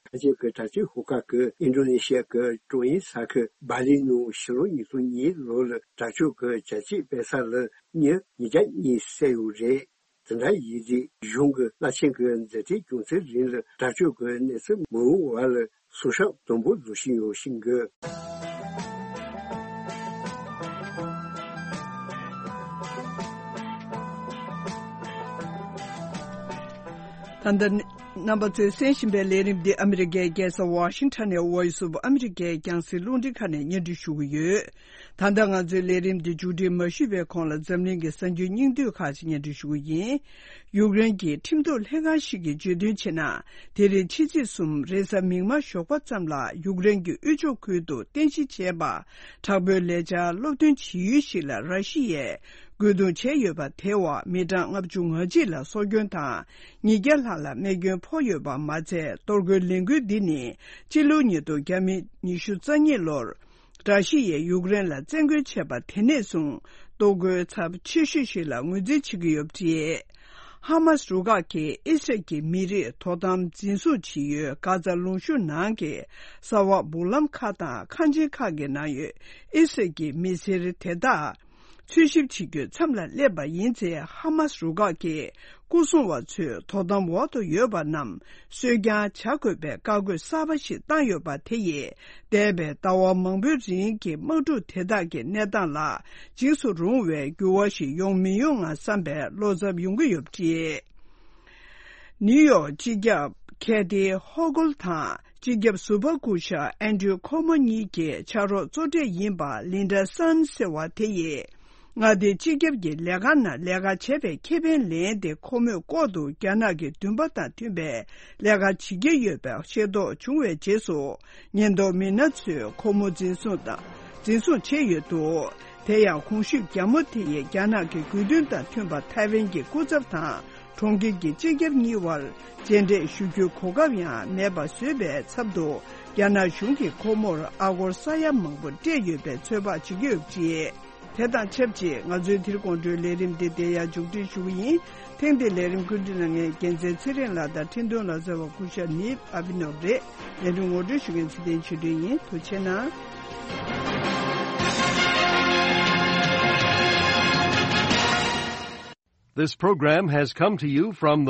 ཁ་ཆེ་གི་དྲག་སྤྱོད་ཤོག་ཁག་གིས་ཨིན་ཌོ་ནེ་ཤི་ཡ་གི་ཀྲོང་ཡིན་ས་ཁུལ་སྦ་ལི་ནང་ཕྱི་ལོ་ཉིས་སྟོང་གཉིས་ལོ་ལ་དྲག་སྤྱོད་གི་བྱ་སྤྱོད་སྤེལ་ས་ལ་མྱི་ཉིས་བརྒྱ་གཉིས་བསད་ཡོད་རེད། དེ་འདྲ་ཡིན་དུས་གཞུང་གི་བླ་ཆེན་གྱི་མཛད་འཕྲིན་སྐྱོང་ཚུལ་རིང་ལ་དྲག་སྤྱོད་ཀྱི་གནས་ཚུལ་མི་འོང་བ་ལ་སྲུང་སྐྱོབ་དམ་པོ་བཟོ་བཞིན་ཡོད་ཤིང་གི། ད་ལྟ་རྣམ་པ་ཚོས་གསན་བཞིན་པའི་ལས་རིམ་འདི་ཨ་མི་རི་ཀའི་རྒྱལ་ས་ཝ་ཤིང་ཊོན་ནས་Voice of America་རྒྱང་སྲིང་རླུང་འཕྲིན་ཁང་ནས་སྙན་སྒྲོན་ཞུ་གི་ཡོད། ད་ལྟ་ང་ཚོའི་ལས་རིམ་འདི་མཇུག་སྒྲིལ་མ་ཞུས་པའི་གོང་ལ་འཛམ་གླིང་གི་གསར་འགྱུར་སྙིང་བསྡུས་ཁག་ཅིག་སྙན་སྒྲོན་ཞུ་གི་ཡིན། ཡུཀ་རེན་གྱི་ཁྲིམས་གཏུག་ལྷན་ཁང་ཞིག་གིས་བརྗོད་དོན་བྱས་ན། དེ་རིང་ཕྱི་ཚེས་གསུམ་རེས་གཟའ་མིག་དམར་ཞོགས་པ་ཙམ་ལ་ཡུཀ་རེན་གྱི་དབུས་ཕྱོགས་ཁུལ་དུ་རྟེན་གཞི་བྱས་པ། དྲག་པོའི་ལས་འཆར་སློབ་སྟོན་བྱེད་ཡུལ་ཞིག་ལ་ར་ཤི་ཡས་རྒོལ་རྡུང་བྱས་ཡོད་པ་དེའི་འོག་མི་གྲངས་ལྔ་བཅུ་ང་གཅིག་ལ་སྲོག་སྐྱོན་དང་། ཉིས་བརྒྱ་ལྷག་ལ་རྨས་སྐྱོན་ཕོག་ཡོད་པ་མ་ཚད། གཏོར་རྒོལ་ལས་འགུལ་འདི་ནི་སྤྱི་ལོ་ཉིས་སྟོང་ཉི་ཤུ་རྩ་གཉིས་ལོར་ར་ཤི་ཡས་ཡུཀ་རེན་ལ་བཙན་རྒོལ་བྱས་པ་དེ་ནས་བཟུང་གཏོར་རྒོལ་ཚབས་ཆེ་ཤོས་ཤིག་ལ་ངོས་འཛིན་བྱེད་ཀྱི་ཡོད་པ་རེད། ཧ་མ་སི་རུ་ཁག་གིས་ཨི་སི་རལ་གྱི་མི་རིགས་དོ་དམ་འཛིན་བཟུང་བྱེད་ཡུལ་གྷ་ཛ་ལུང་གཤོང་ནང་གི་ས་འོག་སྦུག་ལམ་ཁག་དང་ཁང་ཆེན་ཁག་གི་ནང་ཡོད་ཨི་སི་རལ་གྱི་མི་སེར་དེ་དག་འཚོལ་ཞིབ་བྱེད་རྒྱུའི་མཚམས་ལ་སླེབས་པ་ཡིན་ཚེ། ཧ་མ་སི་རུ་ཁག་གིས་སྐུ་སྲུང་བ་ཚོས་དོ་དམ་འོག་ཏུ་ཡོད་པ་རྣམས་གསོད་རྐྱང་བྱ་དགོས་པའི་བཀའ་བཀོད་གསར་པ་ཞིག་བཏང་ཡོད་པ་དེ་ཡིས། འདས་པའི་ཟླ་བ་མང་པོའི་རིང་གི་དམག་འཁྲུག་དེ་དག་གི་གནས་སྟངས་ལ་འཇིགས་སུ་རུང་བའི་འགྱུར་བ་ཞིག་ཡོང་མི་ཡོང་ངམ་བསམ་པའི་བློ་འཚབ་ཡོང་གི་ཡོད་པ་རེད། ནིའུ་ཡོག་སྤྱི་ཁྱབ་ཁེ་ཐི་ཧོ་གུལ་དང་། སྤྱི་ཁྱབ་ཟུར་པ་སྐུ་ཞབས་ཨན་ཌྲུ་ཁོ་མོ་གཉིས་ཀྱི་ཕྱག་རོགས་གཙོ་གྲས་ཡིན་པ་ལིན་ཌ་སན་ཟེར་བ་དེ་ཡིས། མངའ་སྡེ་སྤྱི་ཁྱབ་ཀྱི་ལས་ཁང་ནང་ལས་ཀ་བྱས་པའི་ཁེ་ཕན་ལེན་ཏེ། ཁོ་མོས་ལྐོག་ཏུ་རྒྱ་ནག་གི་འདུན་པ་དང་མཐུན་པའི་ལས་ཀ་བྱེད་ཀྱི་ཡོད་པ་ཤེས་རྟོགས་བྱུང་བའི་རྗེས་སུ། ཉེན་རྟོག་མི་སྣ་ཚོས་ཁོ་མོ་འཛིན་བཟུང་དང་། འཛིན་བཟུང་བྱས་ཡོད་འདུག་དེ་ཡང་གོང་ཞུས་རྒྱ་མོ་དེ་ཡིས་རྒྱ་ནག་གི་དགོས་འདུན་དང་མཐུན་པ་ཐའེ་ཝན་གྱི་སྐུ་ཚབ་དང་། གྲོང་ཁྱེར་གྱི་སྤྱི་ཁྱབ་གཉིས་དབར་མཇལ་འཕྲད་ཞུ་རྒྱུའི་གོ་སྐབས་ཡང་མེད་པ་བཟོས་པའི་ཚབ་ཏུ། རྒྱ་ནག་གཞུང་གིས་ཁོ་མོར་ཨ་སྒོར་ས་ཡ་མང་པོ་སྤྲད་ཡོད་པའི་ཚོད་དཔག་བྱེད་ཀྱི་ཡོད་པ་རེད། དེ་དང་ཆབས་ཅིག་ང་ཚོའི་དེ་རིང་དགོང་དྲོའི་ལས་རིམ་འདི་འདིར་ཡང་མཇུག་སྒྲིལ་ཞུ་གི་ཡིན། ཐེངས་འདིའི་ལས་རིམ་བཀོད་སྒྲིག་གནང་མཁན་རྒྱལ་མཚན་ཚེ་རིང་ལགས་དང་འཕྲིན་གཏོང་ལག་རྩལ་བ་སྐུ་ཞབས་ནིབ་ཨ་བི་ནོབ་རེད། ལས་རིམ་ངོ་སྤྲོད་ཞུ་མཁན་ཚེ་བརྟན་ཆོས་སྒྲོན་ཡིན། ཐུགས་རྗེ་གནང་། This program has come to you from